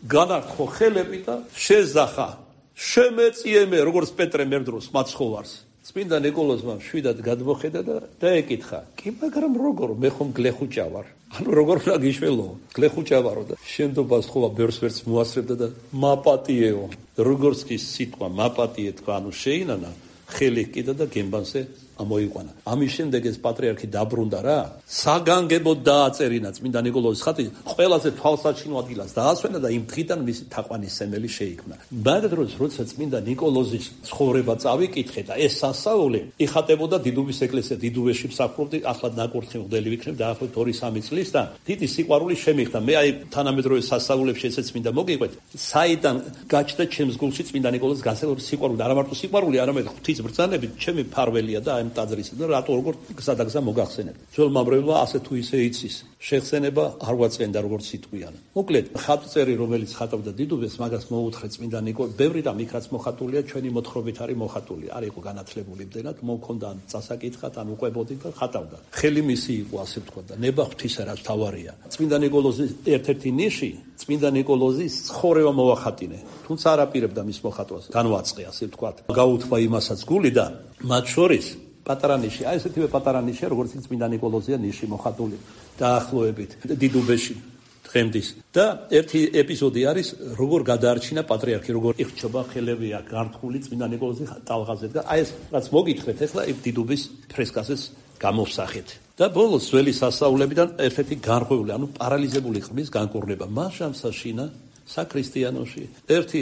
განართხო ხელები და შეზახა. შემეწიე მე, როგორც პეტრე მერდროს მაცხოვარს. წმინდა ნიკოლოზმა შვიდად გადმოხედა და დაეკითხა, კი მაგრამ როგორ მე ხომ გლეხუჭა ვარ? ანუ როგორ უნდა გიშველო? გლეხუჭა ვარო და შენდობას ხოა ბევრს ვერც მოასწრებდა და მაპატიეო. როგორც კი სიტყვა მაპატიე თქვა, ანუ შეინანა, ხელი ჰკიდა და გემბანზე ამოიყვანა. ამის შემდეგ ეს პატრიარქი დაბრუნდა რა. საგანგებოდ დააწერინა წმინდა ნიკოლოზის ხატი, ყველაზე თვალსაჩინო ადგილას დაასვენა და იმ დღიდან მისი თაყვანისმცემელი შეიქმნა. მაგ დროს, როცა წმინდა ნიკოლოზის ცხოვრება წავიკითხე და ეს სასწაული იხატებოდა დიდუბის ეკლესია დიდუბეში მსახურობდი, ახლა ნაკურთხი მღვდელი ვიქნებ დაახლოებით 2-3 წლის და დიდი სიყვარული შემიხდა. მე აი თანამედროვე სასწაულებში ესეც მინდა მოგიყვეთ. საიდან გაჩნდა ჩემს გულში წმინდა ნიკოლოზის განსაკუთრებული სიყვარული, არა მარტო სიყვარული, არამედ ღვთის ბრძანებით ჩემი ფარველია და ტაძრისა და რატო როგორ გზადაგზა მოგახსენებ. ძველ მომრევლმა ასე თუ ისე იცის. შეხსენება არ ვაწყენდა როგორც სიტყვიან. მოკლედ, ხატწერი რომელიც ხატავდა დიდუბეს, მაგას მოუთხე წმინდა ნიკოლოზ, ბევრი რამ იქაც მოხატულია, ჩვენი მოთხრობით არის მოხატული. არ იყო განათლებული იმდენად, მომქონდა წასაკითხად, ან უყვებოდი და ხატავდა. ხელი მისი იყო, ასე ვთქვა და ნება ღვთისა რაც თავარია. წმინდა ნიკოლოზის ერთ-ერთი ნიში, წმინდა ნიკოლოზის ცხოვრება მოახატინე. თუმცა არ აპირებდა მის მოხატვას. განვაწყე, ასე ვთქვა. გაუთქვა იმასაც გული და მათ შორის პატარა ნიში, აი ესეთივე პატარა ნიშია, როგორც წმინდა ნიკოლოზია ნიში მოხატული დაახლოებით დიდუბეში დღემდის. და ერთი ეპიზოდი არის, როგორ გადაარჩინა პატრიარქი, როგორ იხჩობა ხელებია გართხული წმინდა ნიკოლოზის ტალღაზე და აი ეს რაც მოგითხრეთ, ახლა დიდუბის ფრესკაზეც გამოვსახეთ. და ბოლოს ძველი სასწაულებიდან ერთ-ერთი განღვეული, ანუ პარალიზებული ყბის განკურნება. მას შემსაშინა საქრისტიანოში ერთი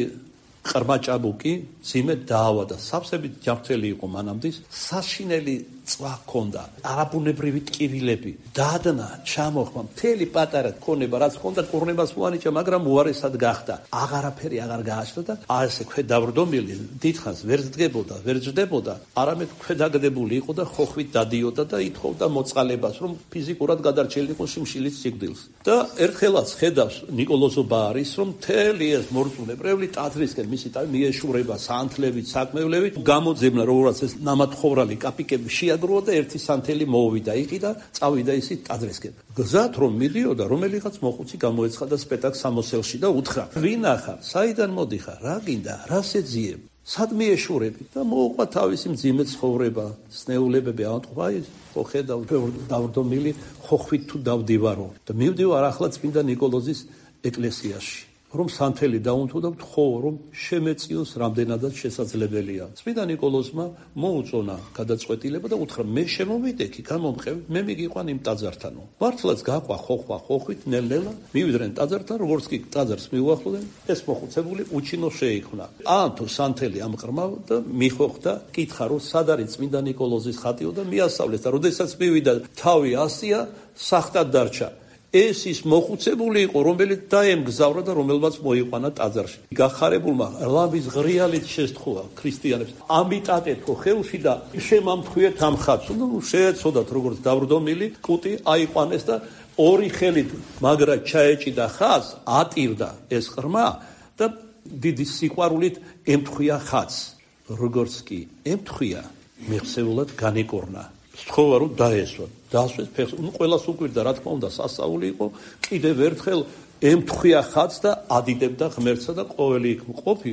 ყრმა ჭაბუკი ძიმედ დაავადა. სავსებით ჯანმრთელი იყო მანამდის. საშინელი წვა ჰქონდა, არაბუნებრივი ტკივილები, დადნა, ჩამოხმა, მთელი პატარა ქონება, რაც ჰქონდა, კურნებას მოანიჭა, მაგრამ უარესად გახდა. აღარაფერი აღარ გააჩნდა და ასე ქვედავრდომილი დიდხანს ვერ ჯდებოდა, არამედ ქვედაგდებული იყო და ხოხვით დადიოდა და ითხოვდა მოწყალებას, რომ ფიზიკურად გადარჩენილიყო შიმშილის სიკვდილს. და ერთხელაც ხედავს ნიკოლოზობა არის, რომ მთელი ეს მორწმუნებრეული ტაძრისკენ მისი მიეშურება საანთლებით, საკმევლებით, გამოძებნა როგორც ეს ნამათხოვრალი კაპიკები შეაგროვა და ერთი სანთელი მოუვიდა იქ და წავიდა ისიც ტაძრისკენ. გზად რომ მიდიოდა, რომელიღაც მოხუცი გამოეცხადა სპეტაკს სამოსელში და უთხრა: "ვინ ახარ? საიდან მოდიხარ? რა გინდა? რა შეძიებ? სად მიეშურები?" და მოუყვა თავისი მძიმე ცხოვრება, სნეულებები ამტყვა ის ხო ხედავ დავრდომილი ხოხვით თუ დავდივარო და მივდივარ ახლა წმინდა ნიკოლოზის ეკლესიაში. რომ სანთელი დაუნთო და ვთხოვო, რომ შემეწიოს რამდენადაც შესაძლებელია. წმინდა ნიკოლოზმა მოუწონა გადაწყვეტილება და უთხრა: "მე შემოვიდექი, გამომყევი, მე მიგიყვან იმ ტაძართანო." მართლაც გაყვა ხოხვით ნელ-ნელა, მივიდნენ ტაძართან, როგორც კი ტაძარს მიუახლოვდნენ, ეს მოხუცებული უჩინო შეიქმნა. აანთო სანთელი ამყრმა და მიხოხდა, კითხა, რომ სად არის წმინდა ნიკოლოზის ხატიო და მიასწავლეს და როდესაც მივიდა, თავი ასია, სახტად დარჩა. ეს ის მოხუცებული იყო, რომელიც დაემგზავრა და რომელმაც მოიყვანა ტაძარში. გახარებულმა ლამის ღრიალით შესთხოვა ქრისტიანებს. ამიტატეთ ხო ხელში და შემამთხვიეთ ამ ხატს. შეეცოდათ როგორც დავრდომილი კუტი აიყვანეს და ორი ხელით მაგრად ჩაეჭიდა ხატს, ატირდა ეს ყრმა და დიდი სიყვარულით ემთხვია ხატს. როგორც კი ემთხვია, მეხსეულად განიკორნა. სთხოვა რომ დაესვა. დაასვეს ფეხს. ყველას უკვირდა, რა თქმა უნდა, სასწაული იყო. კიდევ ერთხელ ემთხვია ხატს და ადიდებდა ღმერთსა და ყოველი იქ მყოფი,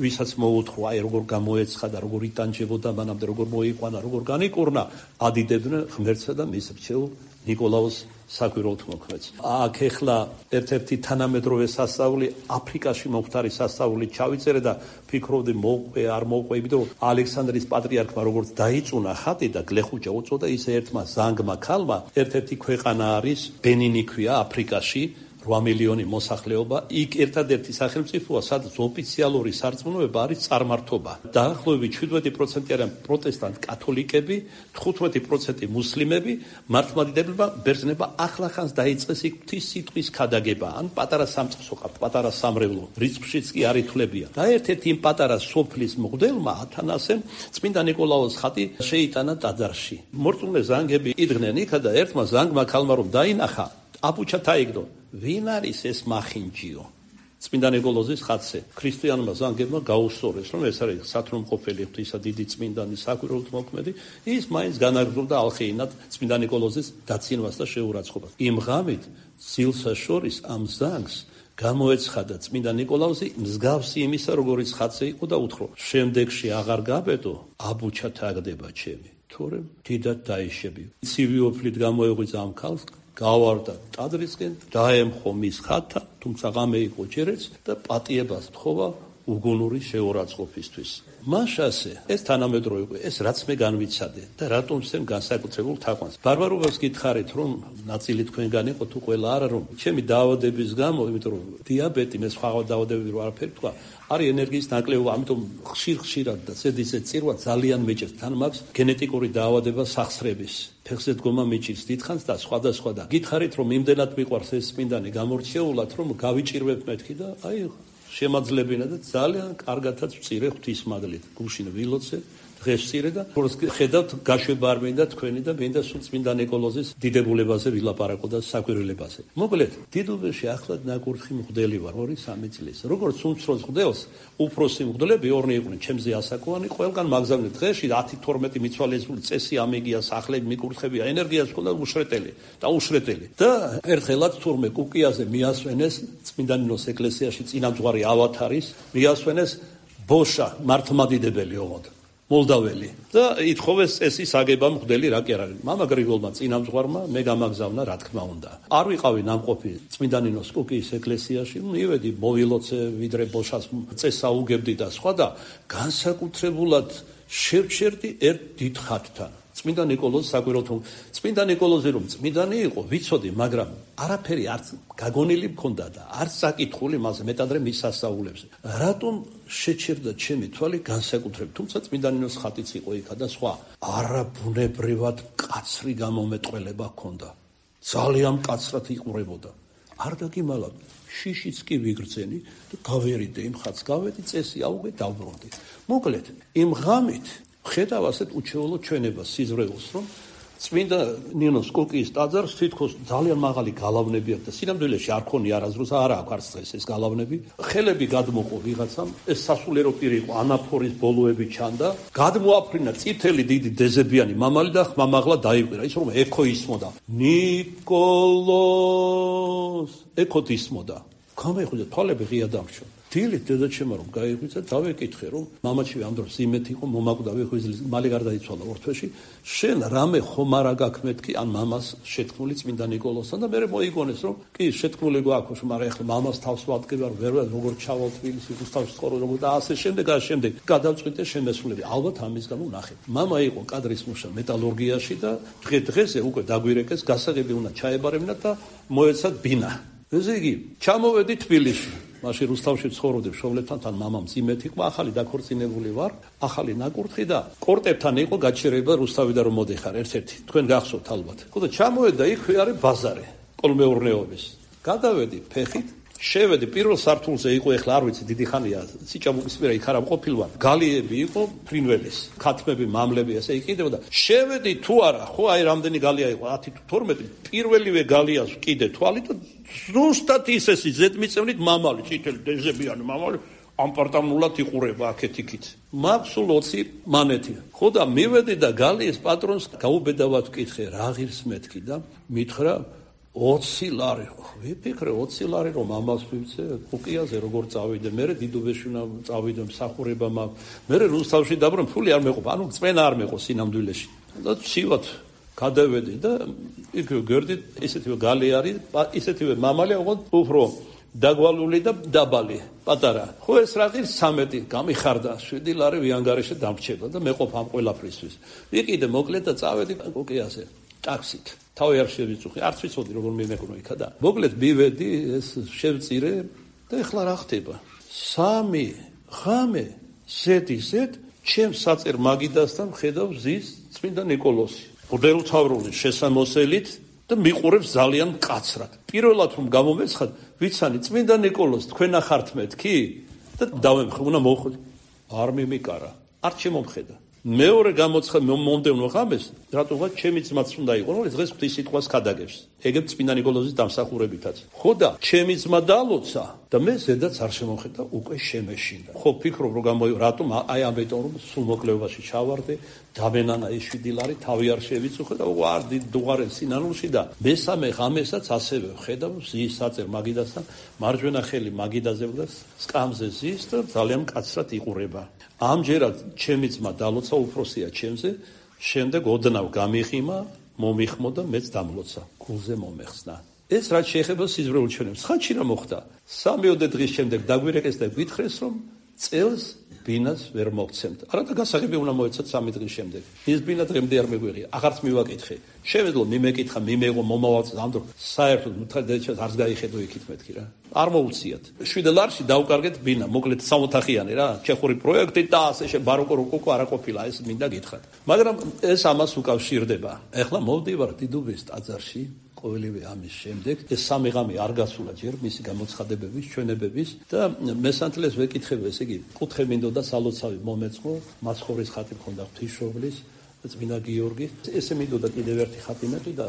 ვისაც მოუთხო, აი როგორ გამოეცხადა, როგორ იტანჯებოდა მანამდე, როგორ მოიყვანა, როგორ განიკურნა, ადიდებდნენ ღმერთსა და მის რჩეულ ნიკოლაოს საკვირველთ მოქმედს. აქ ეხლა ერთ-ერთი თანამედროვე სასწაული აფრიკაში მომხდარი სასწაული ჩავიწერე და ფიქრობდი მოყვე არ მოყვე, იმიტომ რომ ალექსანდრიის პატრიარქმა როგორც დაიწუნა ხატი და გლეხუჯა უწოდა, ისე ერთმა ზანგმა ქალმა ერთ-ერთი ქვეყანა არის ბენინი ქვია აფრიკაში, 8 მილიონი მოსახლეობა, იქ ერთადერთი სახელმწიფოა, სადაც ოფიციალური სარწმუნოება არის წარმართობა. დაახლოებით 17% არიან პროტესტანტ კათოლიკები, 15% მუსლიმები, მართლმადიდებლებმა ბერძნებმა ახლახანს დაიწყეს იქ ღვთის სიტყვის ქადაგება, ან პატარა სამწყსო ყავთ, პატარა სამრევლო, რიცხვშიც კი არ ითვლებია. და ერთ-ერთი იმ პატარა სოფლის მღვდელმა ათანასემ წმინდა ნიკოლაოს ხატი შეიტანა ტაძარში. მორწმუნე ზანგები იდგნენ იქა და ერთმა ზანგმა ქალმა რომ დაინახა, აბუჩა თაიგდო. ვინ არის ეს მახინჯიო? წმინდა ნიკოლოზის ხატზე. ქრისტიანმა ზანგებმა გაუსწორეს, რომ ეს არის სათნომყოფელი ღვთისა დიდი წმინდანი საკვირველთ მოქმედი, ის მაინც განაგრძობდა ალხეინად წმინდა ნიკოლოზის დაცინვას და შეურაცხყოფას. იმ ღამით ძილსა შორის ამ ზანგს გამოეცხადა წმინდა ნიკოლოზი მსგავსი იმისა, როგორიც ხატზე იყო და უთხრა: "შემდეგში აღარ გაბედო, აბუჩა თაგდება ჩემი, თორემ დიდად დაიშები." ცივი ოფლით გამოეღვიძა ამ ქალს, გავარდა ტაძრისკენ, დაემხო მის ხატთან, თუმცა ღამე იყო ჯერეც და პატიებას თხოვა უგუნური შეურაცხყოფისთვის. მაშასე ეს თანამედროვე იყო, ეს რაც მე განვიცადე და რატომ სემ განსაკუთრებულ თაყვანს. ბარბარობას გითხარით, რომ ნაწილი თქვენგან იყო თუ ყველა არა, რომ ჩემი დაავადების გამო, იმიტომ რომ დიაბეტი, მე სხვა დაავადებები რო არაფერი თქვა, არის ენერგიის ნაკლებობა, ამიტომ ხშირად და ზედიზედ წირვა ძალიან მეჭირს. თან მაქვს გენეტიკური დაავადება სახსრების. ფეხზე დგომა მეჭირს დიდხანს და სხვადასხვა და გითხარით, რომ იმდენად მიყვარს ეს წმინდანი გამორჩეულად, რომ გავიჭირვებ მეთქი და აი შემაძლებინა და ძალიან კარგათაც ვწირე ღვთისმადლით. გუშინ ვილოცე, დღეს ვწირე და ხედავთ გაშვება არ მინდა თქვენი და მინდა სულ წმინდა ნიკოლოზის დიდებულებაზე ვილაპარაკო და საკვირველებაზე. მოკლედ, დიდუბეში ახლად ნაკურთხი მღვდელი ვარ 2-3 წლის. როგორც უმცროს მღვდელს, უფროსი მღვდლები ორნი იყვნენ, ჩემზე ასაკოვანი, ყველგან მაგზავნე დღეში 10-12 მიცვალებული წესი ამეგია, სახლები მიკურთხებია, ენერგიას ჰქონდა უშრეტელი. და ერთხელაც თურმე კუკიაზე მიასვენეს წმინდა ნინოს ეკლესიაში წინამძღვარი ავათარის, მიასვენეს ბოშა მართლმადიდებელი ოღონდ. მოლდაველი და ითხოვეს წესის აგება მღვდელი რა კი არ არის. მამა გრიგოლმა წინამძღვარმა მე გამაგზავნა რა თქმა უნდა. არ ვიყავი ნამყოფი წმინდა ნინოს კუკიის ეკლესიაში, მივედი მოვილოცე ვიდრე ბოშას წესა უგებდი და სხვა და განსაკუთრებულად შევჩერდი ერთ დიდ ხატთან. წმინდა ნიკოლოზი საკვირელთო წმინდა ნიკოლოზი რომ წმინდანი იყო ვიცოდი, მაგრამ არაფერი არც გაგონილი მქონდა და არც საკითხული მასე მეტადრე მის სასწაულებზე. რატომ შეჩერდა ჩემი თვალი განსაკუთრებით, თუმცა წმინდანინოს ხატიც იყო იქა და სხვა. არაბუნებრივად მკაცრი გამომეტყველება ჰქონდა. ძალიან მკაცრად იყურებოდა. არ დაგიმალავ, შიშიც კი ვიგრძენი და გავერიდე იმ ხატს, გავედი წესი აუგე დავბრუნდი. მოკლედ, იმ ღამით ხედავ ასეთ უჩვეულო ჩვენებას სიზრეულს, რომ წმინდა ნინოს კუკიის ტაძარს თითქოს ძალიან მაღალი გალავნები აქვს და სინამდვილეში არ ქონია არაზრუს, არა აქვს არც დღეს ეს გალავნები. ხელები გადმოყო ვიღაცამ, ეს სასულიერო პირი იყო, ანაფორის ბოლოები ჩანდა, გადმოაფრინა წითელი დიდი დეზებიანი მამალი და ხმამაღლა დაიყვირა, ის რომ ექო ისმოდა. ნიკოლოს ექოთ ისმოდა. გამეხვიდა თვალები ღია დამრჩა. დილით დედაჩემმა რომ გაიღვიძა, დავეკითხე რომ მამაჩივი ამ დროს იმეთ იყო, მომაკვდა ვიღვიძლის, მალე გარდაიცვალა ორთვეში. შენ რამე ხომ არა გაქვს მეთქი ან მამას შეთქმული წმინდა ნიკოლოსთან და მე მოიგონეს რომ კი შეთქმული გვაქვს, მაგრამ ეხლა მამას თავს ვადგება, ვერ როგორ ჩავალ თბილისში, რუსთავში ცხოვრობ როგორ და ასე შემდეგ. გადავწყვიტე შემესულები. ალბათ ამის გამო ნახე. მამა იყო კადრის მუშა მეტალურგიაში და დღე-დღეზე უკვე დაგვირეკეს, გასაღები უნდა ჩაებარებინა და მოეცათ ბინა. ესე იგი, ჩამოვედი თბილისში. მაშინ რუსთავში ცხოვრობდი მშობლებთან, თან მამამ ძიმეთ იყო, ახალი დაქორწინებული ვარ, ახალი ნაკურთხი და კორტებთან იყო გაჩერება რუსთავიდან რომ მოდიხარ ერთ-ერთი. თქვენ გახსოვთ ალბათ. ხო და ჩამოვედა იქ არის ბაზარი, კოლმეურნეობის. გადავედი ფეხით, შევედი პირველ სართულზე იყო, ეხლა არ ვიცი, დიდი ხანია სიჭაბუკის პირა იქ არა მყოფილვარ. გალიები იყო, ფრინველის, ქათმები, მამლები ასე იყიდებოდა. შევედი თუ არა, ხო აი რამდენი გალია იყო, 10 თუ 12, პირველივე გალიას ვკიდე თვალი და ზუსტად ისესი ზედმიწევნით მამალი, წითელი დეზებიანი მამალი ამპარტამულად იყურება აქეთ-იქით. მაქვს სულ 20 მანეთი. ხო და მივედი და გალიის პატრონს გაუბედავად ვკითხე, რა ღირს მეთქი და მითხრა 20 ლარი. ვიფიქრე 20 ლარი რომ ამას ვივცე კუკიაზე როგორ წავიდე, მე დიდუბეში უნდა წავიდე მსახურება მაქვს. მე რუსთავში დაბრუნ, ფული არ მეყო, ანუ წვენა არ მეყო სინამდვილეში. და ცივად გადავედი და იქ გერდით ისეთივე გალი არის, ისეთივე მამალი ოღონდ უფრო დაგვალული და დაბალი, პატარა. ხო ეს რა ღირს 13 გამიხარდა, 7 ლარი ვიანგარეშე დამრჩება და მეყოფ ამ ყველაფრისთვის. ვიყიდე მოკლედ და წავედი კუკიაზე. ტაქსით. თავი არ შევიწუხე, არც ვიცოდი როგორ მიმეკნო იქა და. მოკლედ მივედი, ეს შევწირე და ეხლა რა ხდება? 3 ღამე ზედიზედ ჩემ საწერ მაგიდასთან ხედავ ზის წმინდა ნიკოლოსი. მღვდელმთავრული შესამოსელით და მიყურებს ძალიან მკაცრად. პირველად რომ გამომეცხად, ვიცანი წმინდა ნიკოლოს თქვენ ახართ მეთქი და დავემხე, უნდა მოხვდი. არ მიმიკარა, არ შემომხედა. მეორე გამოცხა მომდევნო ღამეს, რატომღაც ჩემი ძმაც უნდა იყო, რომ დღეს ღვთის სიტყვას ქადაგებს. ეგებ წმინდა ნიკოლოზის დამსახურებითაც. ხო და ჩემი ძმა დალოცა და მე ზედაც არ შემოხედა, უკვე შემეშინდა. ხო ფიქრობ რომ რატომ აი ამიტომ რომ სულ მოკლევაში ჩავარდე, დამენანა ეს 7 ლარი, თავი არ შევიწუხე და ვარ დუღარელ სინანულში და მესამე ღამესაც ასევე ხედავ ზის საწერ მაგიდასთან, მარჯვენა ხელი მაგიდაზე და სკამზე ზის და ძალიან მკაცრად იყურება. ამჯერად ჩემი ძმა დალოცა, უფროსია ჩემზე, შემდეგ ოდნავ გამიხიმა, მომიხმო და მეც დამლოცა, გულზე მომეხსნა. ეს რაც შეეხება სიზრეულ ჩვენებს, ხანში რა მოხდა? 3-4 დღის შემდეგ დაგვირეკეს და გვითხრეს, რომ წელს ბინას ვერ მოგცემთ. არა და გასაღები უნდა მოეცათ 3 დღის შემდეგ. ის ბინა დღემდე არ მეგვიღია, აღარც მივაკითხე. შევედლო მიმეკითხა, მიმეღო, მომავალს ამ დრო საერთოდ მეთქედეჩას არც გაიხედო იქით მეთქი რა. არ მოუციათ. 7 ლარში დავკარგეთ ბინა, მოკლედ 3 ოთახიანი რა, ჩეხური პროექტი და ასე ბაროკო როკოკო არა ყოფილა, ეს მინდა გითხრათ. მაგრამ ეს ამას უკავშირდება. ეხლა მოვდივარ დიდუბის ტაძარში. ყოველივე ამის შემდეგ ეს 3 ღამე არ გასულა ჯერ მისი გამოცხადებების, ჩვენებების და მესანთლეს ვეკითხებ, ესე იგი, კუთხე მინდოდა სალოცავი მომეწყო, მაცხოვრის ხატი მქონდა ღვთისმშობლის, წმინდა გიორგის, ესე მინდოდა კიდევ ერთი ხატი მეტი და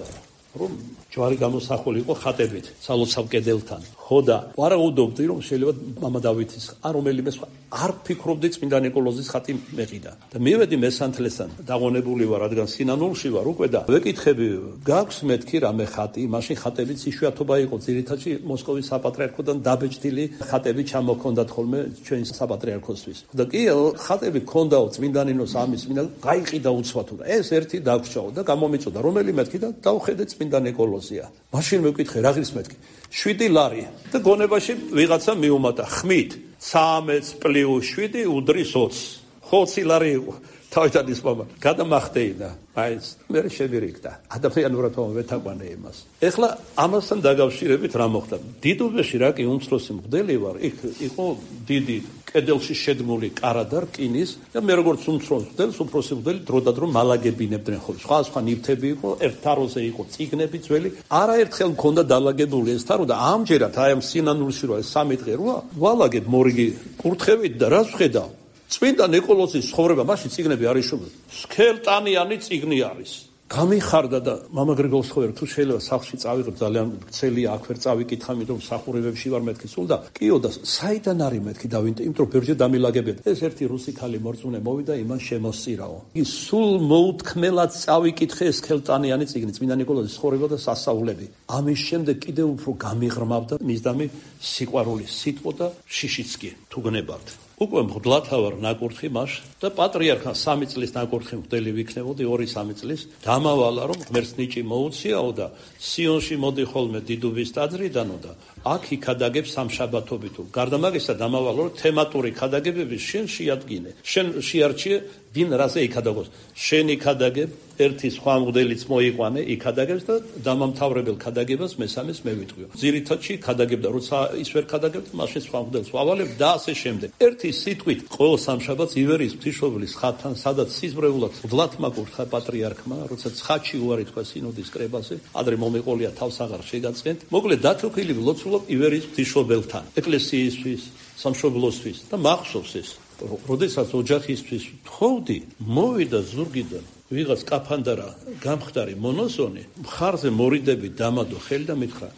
რომ ჯვარი გამოსახული იყო ხატებით სალოცავ კედელთან. ხო და ვარაუდობდი რომ შეიძლება მამა დავითის არ რომელიმე სხვა არ ფიქრობდი წმინდა ნიკოლოზის ხატი მეყიდა. და მივედი მესანთლესთან, დაღონებული ვარ, რადგან სინანულში ვარ უკვე და ვეკითხები, გაქვს მეთქი რამე ხატი, მაშინ ხატებიც იშვიათობა იყო, ძირითადში მოსკოვის საპატრიარქოდან დაბეჭდილი ხატები ჩამოქონდათ ხოლმე ჩვენი საპატრიარქოსთვის. და კი ხატები ქონდაო წმინდა ნინოს ამის, წმინდა გაიყიდა უცბად და ეს ერთი დაგვრჩაო და გამომიწოდა რომელი მეთქი და დავხედე წმინდა ნიკოლოზია. მაშინ მეკითხე, რა ღირს მეთქი? 7 ლარი და გონებაში ვიღაცა მიუმატა ხმით 13 + 7 უდრის 20. 20 ლარი იყო. თავიდან ის მამა გადამახტეინა, მაინც მე შევირიგდა. ადამიანურად ვეთაყვანე იმას. ეხლა ამასთან დაკავშირებით რა მოხდა? დიდუბეში რა კი უმცროსი მღვდელი ვარ, იქ იყო დიდი კედელში შედგმული კარა და რკინის და მე როგორც უმცროს მღვდელს, უფროსი მღვდელი დროდადრო მალაგებინებდნენ ხოლმე. სხვა ნივთები იყო, ერთ თაროზე იყო წიგნები ძველი. არაერთხელ მქონდა დალაგებული ეს თარო და ამჯერად აი ამ სინანულში რო ეს 3 დღე როა, ვალაგებ მორიგი კურთხევით და რას ვხედავ? წმინდა ნიკოლოზის ცხოვრება, მაშინ წიგნები არ იშოვებდა. სქელტანიანი წიგნი არის. გამიხარდა და მამა გრიგოლს ხოვერ თუ შეიძლება სახლში წავიღებ ძალიან ცხელია აქ ვერ წავიკითხა იმიტომ სახურებებში ვარ მეთქი სულ და კიო და საიდან არის მეთქი დავინტე იმიტომ ბერჯე დამილაგებია ეს ერთი რუსი ხალი მორწმუნე მოვიდა იმან შემოსწირაო ის სულ მოუთქმელად წავიკითხე ეს სქელტანიანი წიგნი წმინდა ნიკოლოზის ცხოვრება და სასწაულები ამის შემდეგ კიდევ უფრო გამიღრმავდა მისდამი სიყვარულის სიტყვა და შიშიც კი თუ გნებავთ უკვე მღვდლათა ვარ ნაკურთხი მას და პატრიარქა 3 წლის ნაკურთხი მღვდელი ვიქნებოდი 2-3 წლის დამავალა რომ ღმერთს ნიჭი მოუციაო და სიონში მოდი ხოლმე დიდუბის ტაძრიდანო და აქ იქადაგებ სამშაბათობით გარდა მაგისა დამავალა რომ თემატური ქადაგებები შენ შეადგინე შენ შეარჩიე ვინ რაზე იქადაგოს შენ იქადაგებ ერთი სხვა მღვდელიც მოიყვანე იქადაგებს და დამამთავრებელ ქადაგებას მესამეს მე ვიტყვიო ძირითადში ქადაგებდა როცა ის ვერ ქადაგებდა მაშინ სხვა მღვდელს ვავალებ და ასე შემდეგ ერთი სიტყვით ყოველ სამშაბათს ივერის ღვთისმშობლის ხატთან სადაც სიზმრეულად მღვდლათმა კურთხა პატრიარქმა როცა ცხადში უარი თქვა სინოდის კრებაზე ადრე მომეყოლია თავს აღარ შეგაწყენთ მოკლედ დათოქილი ვლოცულობ ივერის ღვთისმშობელთან ეკლესიისთვის სამშობლოსთვის და მახსოვს ეს როდესაც ოჯახისთვის თხოვდი მოვიდა ზურგიდან ვიღაც კაფანდარა გამხდარი მონოზონი მხარზე მორიდები დამადო ხელი და მითხრა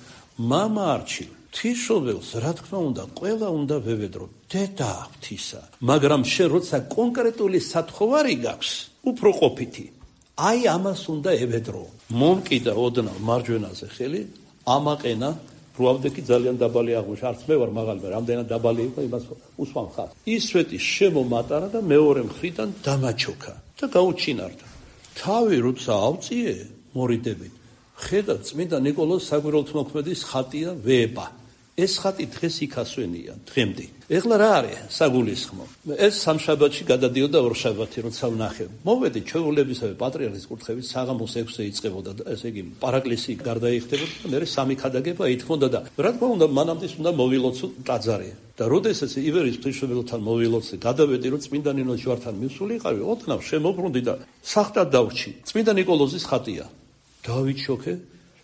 მამა არჩილ ღვთისმშობელს რა თქმა უნდა ყველა უნდა ვევედრო დედა ღვთისა მაგრამ შენ როცა კონკრეტული სათხოვარი გაქვს უფრო ყოფითი აი ამას უნდა ევედრო მომკიდა ოდნავ მარჯვენაზე ხელი ამაყენა რუავდეკი ძალიან დაბალი აღმოჩნდა არც მე ვარ მაღალი რამდენად დაბალი იყო იმას უსვამ ხარ ისვეთი შემომატარა და მეორე მხრიდან დამაჩოქა და გაუჩინარდა თავი როცა ავწიე მორიდებით ხედა წმინდა ნიკოლოზ საგვირელთმოქმედის ხატია ვება ეს ხატი დღეს იქასვენია დღემდე ეხლა რა არის საგულისხმო ეს სამშაბათში გადადიოდა ორშაბათი როცა ვნახე მოვედი ჩვეულებისავე პატრიარქის კურთხევით საღამოს 6-ზე იწყებოდა ესე იგი პარაკლისი გარდაიხდებოდა და მე სამი ქადაგება ითქონდა და რა თქმა უნდა მანამდე უნდა მოვილოცო ტაძარი და როდესაც ივერის ღვთისმშობელთან მოვილოცე გადავედი რომ წმინდა ნინოს ჯვართან მისულიყავი ოდნავ შემოbrunდი და სახტად დავრჩი წმინდა ნიკოლოზის ხატია დავიჩოქე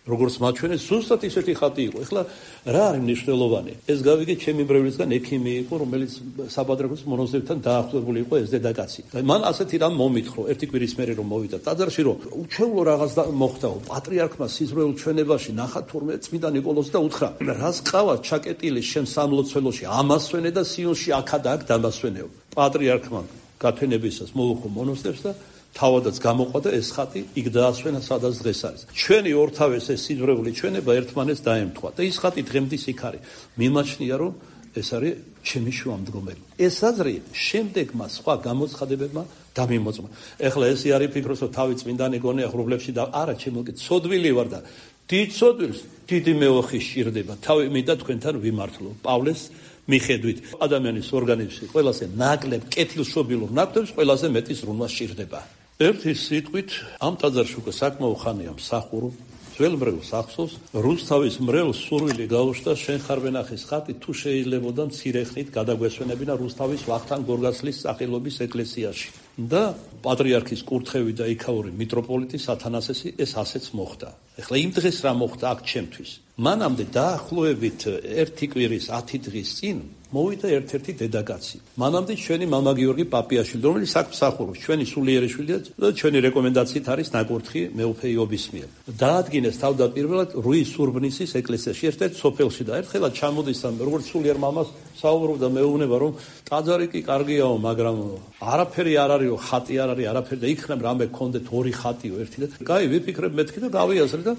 როგორც მაჩვენეს ზუსტად ისეთი ხატი იყო. ეხლა რა არის მნიშვნელოვანი? ეს გავიგე ჩემი მრევლისგან ექიმი იყო, რომელიც საბადრაკოს მონოზებთან დაახლოებული იყო ეს დედაკაცი. და მან ასეთი რამ მომითხოვ, ერთი კვირის მერე რომ მოვიდა ტაძარში, რომ უჩვეულო რაღაც მოხდაო, პატრიარქმა სიზმრეულ ჩვენებაში ნახა თურმე წმინდა ნიკოლოზს და უთხრა: "რას ყავა ჩაკეტილი შენ სამლოცველოში, ამასვენე და სიონში აქა და აქ დამასვენეო." პატრიარქმა გათვენებისას მოუხო მონოსტერს და თავადაც გამოყვა და ეს ხატი იქ დაასვენა სადაც დღეს არის. ჩვენი ორთავეს ეს სიზმრეული ჩვენება ერთმანეთს დაემთხვა და ის ხატი დღემდის იქ არის. მიმაჩნია რომ ეს არის ჩემი შუამდგომელი. ეს აზრი შემდეგმა სხვა გამოცხადებებმა დამიმოწმა. ეხლა ესე არის ფიქრობს რომ თავი წმინდანი გონია ღრუბლებში და არა ჩემო კი ცოდვილი ვარ და დიდ ცოდვილს დიდი მეოხი სჭირდება. თავი მინდა თქვენთან ვიმართლო. პავლეს მიხედვით ადამიანის ორგანიზმში ყველაზე ნაკლებ კეთილშობილურ ნაკვთებს ყველაზე მეტი ზრუნვა სჭირდება. ერთი სიტყვით ამ ტაძარში უკვე საკმაო ხანია მსახურო ძველ მრევლს ახსოვს რუსთავის მრევლს სურვილი გაუჩნდა შენ ხარ ვენახის ხატი თუ შეიძლებოდა მცირე ხნით გადაგვესვენებინა რუსთავის ვახტანგ გორგასლის სახელობის ეკლესიაში და პატრიარქის კურთხევი და იქაური მიტროპოლიტი სათანასესი ეს ასეც მოხდა. ეხლა იმ დღეს რა მოხდა აქ ჩემთვის? მანამდე დაახლოებით 1 კვირის 10 დღის წინ მოვიდა ერთ-ერთი დედაკაცი. მანამდე ჩვენი მამა გიორგი პაპიაშვილი, რომელიც აქ მსახურობს, ჩვენი სულიერი შვილია და ჩვენი რეკომენდაციით არის ნაკურთხი მეუფე იობის მიერ. დაადგინეს თავდაპირველად რუი სურბნისის ეკლესიაში, ერთ-ერთ სოფელში და ერთხელაც ჩამოდის ამ როგორც სულიერ მამას საუბრობდა მეუბნება რომ ტაძარი კი კარგიაო, მაგრამ არაფერი არ არისო, ხატი არ არის, არაფერი და იქნებ რამე გქონდეთ 2 ხატიო ერთი და კაი ვიფიქრებ მეთქი და გავიაზრე და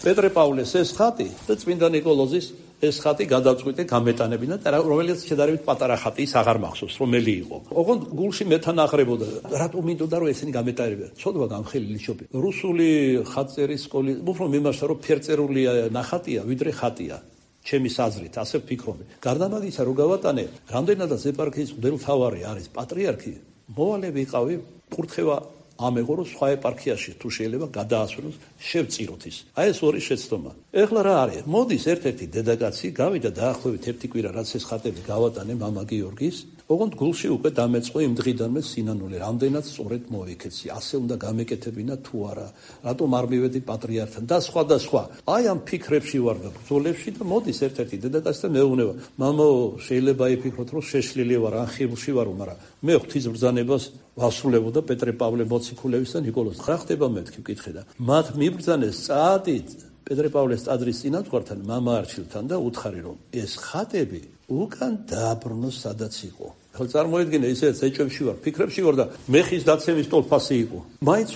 პეტრე პავლეს ეს ხატი და წმინდა ნიკოლოზის ეს ხატი გადავწყვიტე გამეტანებინა და რომელიც შედარებით პატარა ხატი ის აღარ მახსოვს რომელი იყო. ოღონდ გულში მეთანახრებოდა რატომ მინდოდა რომ ესენი გამეტარებია. ცოდვა გამხელი შობი. რუსული ხატწერის სკოლი უფრო მიმართა რომ ფერწერულია ნახატია ვიდრე ხატია. ჩემის აზრით ასე ვფიქრობ. გარდა მაგისა რო გავატანე, რამდენადაც ეპარქიის მღვდელმთავარი არის პატრიარქი მოვალე ვიყავი, კურთხევა ამეღო რომ სხვა ეპარქიაში თუ შეიძლება გადაასვენოს შევწიროთ ის. აი ეს ორი შეცდომა. ეხლა რა არის? მოდის ერთ-ერთი დედაკაცი გავიდა დაახლოებით ერთი კვირა რაც ეს ხატები გავატანე მამა გიორგის. ოღონდ გულში უკვე დამეწყო იმ დღიდანვე სინანული, რამდენად სწორედ მოვიქეცი, ასე უნდა გამეკეთებინა თუ არა, რატომ არ მივედი პატრიარქთან და სხვა და სხვა. აი ამ ფიქრებში ვარ და ბრძოლებში და მოდის ერთ-ერთი დედაკაცი და მეუბნება, მამო, შეიძლება იფიქროთ, რომ შეშლილი ვარ, ან ხიბლში ვარო, მაგრამ მე ღვთის ბრძანებას ვასრულებოდა პეტრე პავლე მოციქულევის და ნიკოლოზ. რა ხდება მეთქი ვკითხე და მათ მიბრძანეს წაადით პეტრე პავლეს ტაძრის წინამძღვართან, მამა არჩილთან და უთხარი რომ ეს ხატები უკან დააბრუნოს სადაც იყო. ხელ წარმოედგინე ისე ეჭვებში ვარ, ფიქრებში ვარ და მეხის დაცემის ტოლფასი იყო. მაინც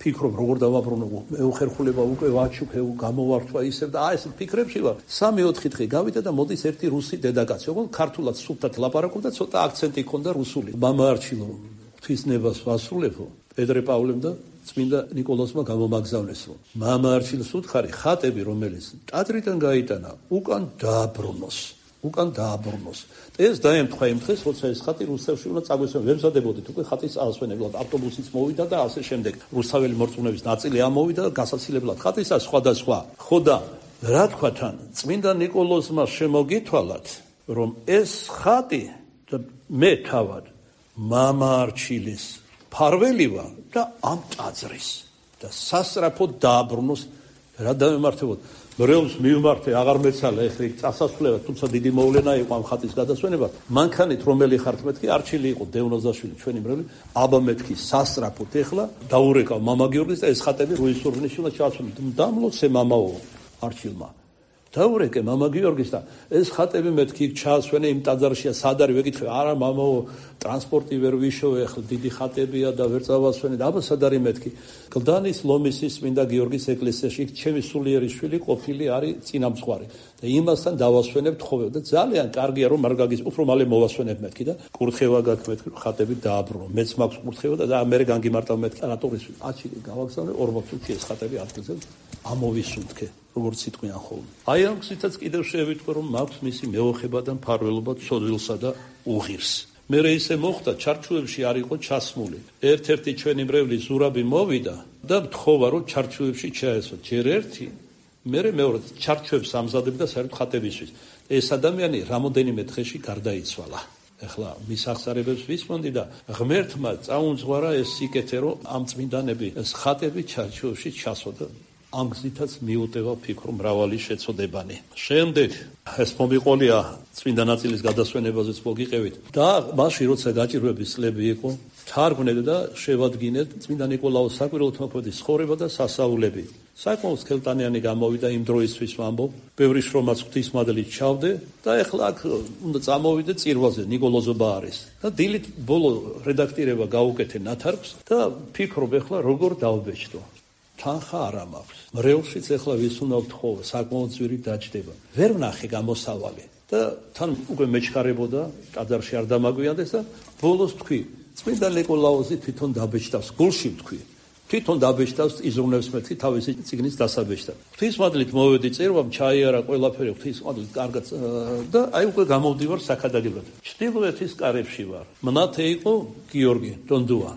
ფიქრობ როგორ დავაბრუნო, მეუხერხულება უკვე ვაჩუქე, გამოვართვა ისე და აი ეს ფიქრებში ვარ. 3-4 დღე გავიდა და მოდის ერთი რუსი დედაკაცი, ოღონდ ქართულად სუფთად ლაპარაკობდა, ცოტა აქცენტი ჰქონდა რუსული. მამა არჩილო ღვთისნებას ვასრულებო, პეტრე პავლემ და წმინდა ნიკოლოზმა გამომაგზავნეს რომ მამა არჩილოს უთხარი ხატები რომელიც ტაძრიდან გაიტანა უკან დააბრუნოს. ეს დაემთხვა იმ დღეს, როცა ეს ხატი რუსეთში უნდა წაგვესვენ, ვემზადებოდით უკვე ხატის წასვენებლად, ავტობუსიც მოვიდა და ასე შემდეგ. რუსთაველი მორწმუნეების ნაწილი ამოვიდა და გასაცილებლად ხატისა სხვადასხვა. ხო და რა თქვა თან, წმინდა ნიკოლოზმა შემოგითვალათ, რომ ეს ხატი და მე თავად მამა არჩილის ფარველი ვარ და ამ ტაძრის და სასწრაფოდ დააბრუნოს რა დამემართებოდ. მრევლს მივმართე, აღარ მეცალა ეხლა წასასვლელად, თუმცა დიდი მოვლენა იყო ამ ხატის გადასვენება. მანქანით რომელი ხართ მეთქი, არჩილი იყო დევნოზაშვილი, ჩვენი მრევლი, აბა მეთქი სასწრაფოდ ეხლა დაურეკავ მამა გიორგის და ეს ხატები რუისურღვნიში უნდა ჩაასვენოთ. დამლოცე მამაო არჩილმა. დაურეკე მამა გიორგის და ეს ხატები მეთქი ჩაასვენე იმ ტაძარშია, სად არის ვეკითხე, არა მამაო, ტრანსპორტი ვერ ვიშოვე, ახლა დიდი ხატებია და ვერ წავასვენე და აბა სად არის მეთქი. გლდანის ლომისის წმინდა გიორგის ეკლესიაში ჩემი სულიერი შვილი ყოფილი არის წინამძღვარი და იმასთან დავასვენებთ ხოლმე და ძალიან კარგია რომ არ გაგის უფრო მალე მოვასვენებ მეთქი და კურთხევა გაქვს მეთქი ხატები დააბრუნო. მეც მაქვს კურთხევა და მე განგიმარტავ მეთქი რატორის აჩილი გავაგზავნე 40 წუთი ეს ხატები ადგილზე ამოვისუნთქე. როგორც სიტყვიან ხოლმე. აი ამ გზითაც კიდევ შევიტყვე რომ მაქვს მისი მეოხება და მფარველობა ცოდვილსა და უღირს. მე ისე მოხდა ჩარჩუებში არ იყო ჩასმული. ერთ-ერთი ჩვენი მრევლი ზურაბი მოვიდა და მთხოვა რომ ჩარჩუებში ჩაესვა. ჯერ ერთი, მე მეორე ჩარჩუებს ამზადებდა საერთოდ ხატებისთვის. ეს ადამიანი რამოდენიმე დღეში გარდაიცვალა. ეხლა მის აღსარებებს ვისმონდი და ღმერთმა წაუნძღვარა ეს სიკეთე რომ ამ წმინდანები ეს ხატები ჩარჩუებში ჩასვოდა. ამ გზითაც მიუტევა ფიქრო მრავალი შეწოდებანი. შემდეგ ეს მომიყოლია წმინდა ნაწილის გადასვენებაზეც მოგიყევით და მასში როცა გაჭირვების წლები იყო, თარგმნეთ და შევადგინეთ წმინდა ნიკოლაოს საკვირველთმოქმედის ცხოვრება და სასაულები. საკმაოდ სქელტანიანი გამოვიდა იმ დროისთვის ვამბობ, ბევრი შრომაც ღვთისმადლით ჩავდე და ეხლა აქ უნდა წამოვიდე წირვაზე ნიკოლოზობა არის. და დილით ბოლო რედაქტირება გავუკეთე ნათარგს და ფიქრობ ეხლა როგორ დავბეჭდო. თანხა არ მაქვს. მრევლშიც ეხლა ვის უნდა ვთხოვო, საკმაოდ ძვირი დაჯდება. ვერ ვნახე გამოსავალი და თან უკვე მეჩქარებოდა, ტაძარში არ დამაგვიანდეს და ბოლოს თქვი, წმინდა ნიკოლაოზი თვითონ დაბეჭდავს, გულში ვთქვი. თვითონ დაბეჭდავს, იზრუნებს მეთქი თავისი წიგნის დასაბეჭდად. ღვთისმადლით მოვედი წირვამ, ჩაიარა ყველაფერი ღვთისმადლით კარგად და აი უკვე გამოვდივარ საქადაგებლად. ჩრდილოეთის კარებში ვარ. მნათე იყო გიორგი დონდუა.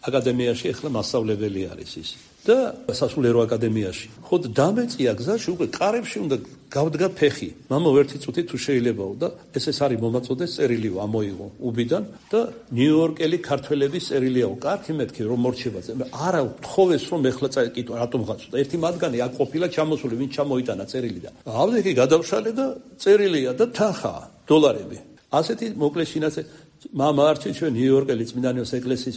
აკადემიაში ახლა მასწავლებელი არის ის. და სასულიერო აკადემიაში. ხო დამეწია გზაში უკვე კარებში უნდა გავდგა ფეხი. მამა ერთი წუთი თუ შეიძლებაო და ეს არის მომაწოდეს წერილიო ამოიღო უბიდან და ნიუ-იორკელი ქართველების წერილიაო. კარგი მეთქი რომ მორჩება. არა თხოვეს რომ ეხლა წაიკითხო რატომ გაწუდა. ერთი მათგანი აქ ყოფილა ჩამოსული, ვინ ჩამოიტანა წერილი და ავდექი გადავშალე და წერილია და თანხაა დოლარები. ასეთი მოკლე შინაარსი მამა არჩი ჩვენ ნიუ-იორკელი წმინდანიოს ეკლესიის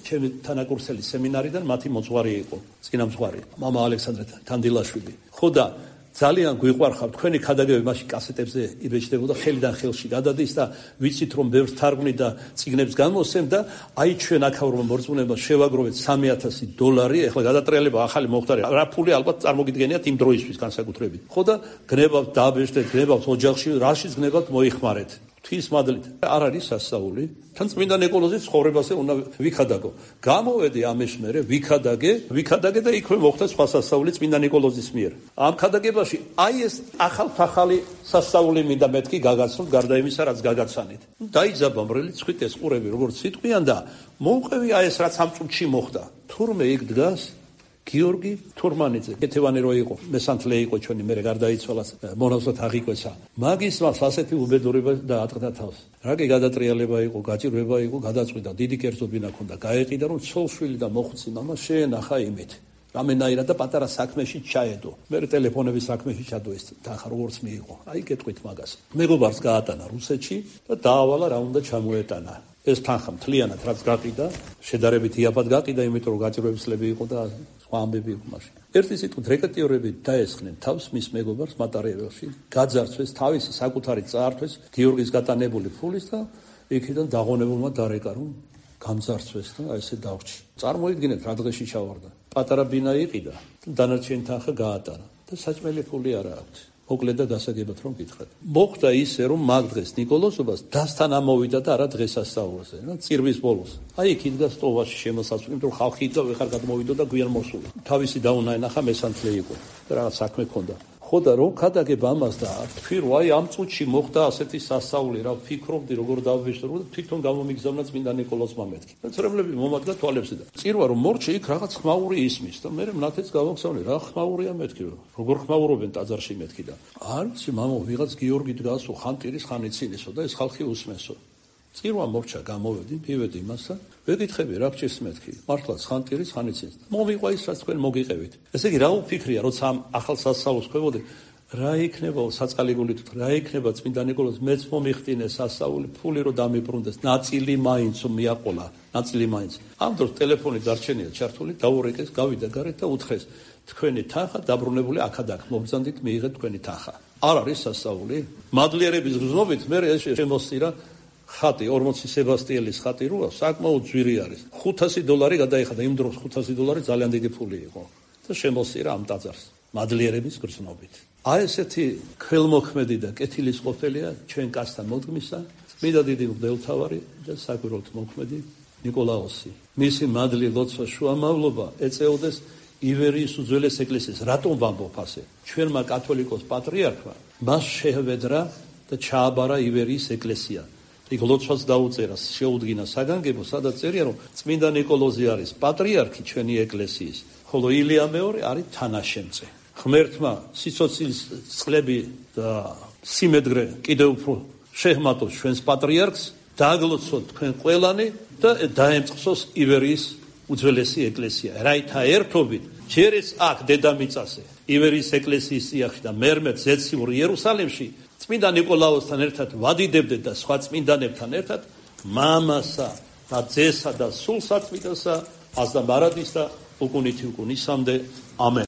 ჩემი თანაკურსელი სემინარიდან მათი მოძღვარი იყო, წინამძღვარი, მამა ალექსანდრე თანდილაშვილი. ხო და ძალიან გვიყვარხავთ თქვენი ქადაგებები მაშინ კასეტებზე იბეჭდებოდა ხელიდან ხელში გადადის და ვიცით რომ ბევრს თარგმნი და წიგნებს გამოსცემ და აი ჩვენ აქაურმა მორწმუნეებმა შევაგროვეთ $3,000, ეხლა გადატრიალება ახალი მომხდარი. რა ფული ალბათ წარმოგიდგენიათ იმ დროისთვის განსაკუთრებით. ხო და გნებავთ დააბეჭდეთ, გნებავთ ოჯახში, რაშიც გნებავთ მოიხმარეთ. ღვთის მადლით არ არის სასწაული, თან წმინდა ნიკოლოზის ცხოვრებაზე უნდა ვიქადაგო. გამოვედი ამის მერე, ვიქადაგე და იქვე მოხდა სხვა სასწაული წმინდა ნიკოლოზის მიერ. ამ ქადაგებაში აი ეს ახალი სასწაული მინდა მეთქი გაგაცნოთ გარდა იმისა, რაც გაგაცანით. დაიძაბა მრელი ცხვიტეს ყურები, როგორც სიტყვიან და მოუყევი აი ეს რაც ამ წუთში მოხდა. თურმე იქ დგას გიორგი თურმანიძე, კეთევანი რო იყო, მესანთლე იყო ჩვენი, მერე გარდაიცვალა, მონავსად აღიკვეცა. მაგის მას ასეთი უბედურება დაატყდა თავს. რა კი გადატრიალება იყო, გაჭირვება იყო, გადაწყვიტა, დიდი კერძობინა ჰქონდა, გაეყიდა რომ ცოლშვილი და მოხუცი მამა შეენახა იმით. რამენაირად და პატარა საქმეში ჩაედო. მე ტელეფონების საქმეში ჩადო ეს თანხა როგორც მიიღო. აი გეტყვით მაგას. მეგობარს გაატანა რუსეთში და დაავალა რა უნდა ჩამოეტანა. ეს თანხა მთლიანად რაც გაყიდა, შედარებით იაფად გაყიდა, იმიტომ რომ გაჭირვებისლები იყო და სხვა ამბები იყო მაშინ. ერთი სიტყვით რეკეტიორები დაესხნენ თავს მის მეგობარს მატარიელში, გაძარცვეს თავისი საკუთარი წაართვეს გიორგის გატანებული ფულის და იქიდან დაღონებულმა დარეკა რომ გამძარცვეს და ესე დავრჩი. წარმოიდგინეთ რა დღეში ჩავარდა. პატარა ბინა იყიდა, დანარჩენი თანხა გაატარა და საჭმელი ფული არა აქვს. მოკლედ და გასაგებად რომ გითხრათ. მოხდა ისე რომ მაგ დღეს ნიკოლოზობას დასთან ამოვიდა და არა დღესასწაულზე, რა წირვის ბოლოს. აი იქ იდგა სტოვაში შემოსასვლელი, იმიტომ რომ ხალხი და ვეხარ გადმოვიდა და გვიან მოსულა. თავისი დაუნაენახა მესანთლე იყო და რაღაც საქმე ჰქონდა. ხო და რომ ქადაგებ ამას და თქვი რომ აი ამ წუთში მოხდა ასეთი სასწაული, რა ვფიქრობდი როგორ დავვიშორო და თვითონ გამომიგზავნა წმინდა ნიკოლოზმა მეთქი. მოცრებლები მომადგა თვალებზე და წირვა რომ მორჩე იქ რაღაც ხმაური ისმის და მე მნათეც გავაგზავნე რა ხმაურია მეთქი როგორ ხმაურობენ ტაძარში მეთქი და არც მამო ვიღაც გიორგი დგასო ხანტირის ხანიცინისო და ეს ხალხი უსმესო. წირვა მორჩა გამოვედი, მივედი იმასთან, ვეკითხები რა გჭირს მეთქი. მართლაც ხანტირის ხანიცინს. მომიყვა ის რაც თქვენ მოგიყევით. ესე იგი რა უფიქრია, როცა ამ ახალ სასწაულს ხვებოდი, რა იქნება საწყალი გულით, რა იქნება წმინდა ნიკოლოზ მეც მომიხტინეს სასწაული, ფული რო დამიბრუნდეს, ნაწილი მაინც მიაყოლა, ნაწილი მაინც. ამ დროს ტელეფონი დარჩენია ჩართული, დაურეკეს, გავიდა გარეთ და უთხრეს, თქვენი თანხა დაბრუნებული აქადაკ, მოგზანდით მიიღეთ თქვენი თანხა. არ არის სასწაული? მადლიერების გზნობით მე ეს შემოსწირა ხატი 40 სებასტიელის ხატი როა საკმაოდ ძვირი არის. $500 გადაიხადა იმ დროს $500 ძალიან დიდი ფული იყო და შემოსწირა ამ ტაძარს მადლიერების გრძნობით. აი ესეთი ქველმოქმედი და კეთილის ყოფილია ჩვენ კაცთა მოდგმისა წმინდა დიდი მღვდელმთავარი და საკვირველთ მოქმედი ნიკოლაოსი. მისი მადლი ლოცვა შუამავლობა ეწეოდეს ივერიის უძველეს ეკლესიას. რატომ ვამბობ ასე? ჩვენმა კათოლიკოს პატრიარქმა მას შეჰვედრა და ჩააბარა ივერიის ეკლესია. იქ ლოცვას დაუწერა, შეუდგინა საგანგებო, სადაც წერია რომ წმინდა ნიკოლოზი არის პატრიარქი ჩვენი ეკლესიის, ხოლო ილია მეორე არის თანაშემწე. ღმერთმა სიცოცხლის წყლები და სიმედრე კიდევ უფრო შეჰმატოს ჩვენს პატრიარქს, დააგლოცოთ თქვენ ყველანი და დაემწყსოს ივერიის უძველესი ეკლესია. რაითა ერთობით ჯერ ეს აქ დედამიწაზე, ივერიის ეკლესიის სიახში და მერმე ზეციურ იერუსალიმში წმინდა ნიკოლაოსთან ერთად ვადიდებდეთ და სხვა წმინდანებთან ერთად მამასა და ძესა და სულ საწმინდასა აზდა მარადის და უკუნითი უკუნისამდე ამენ.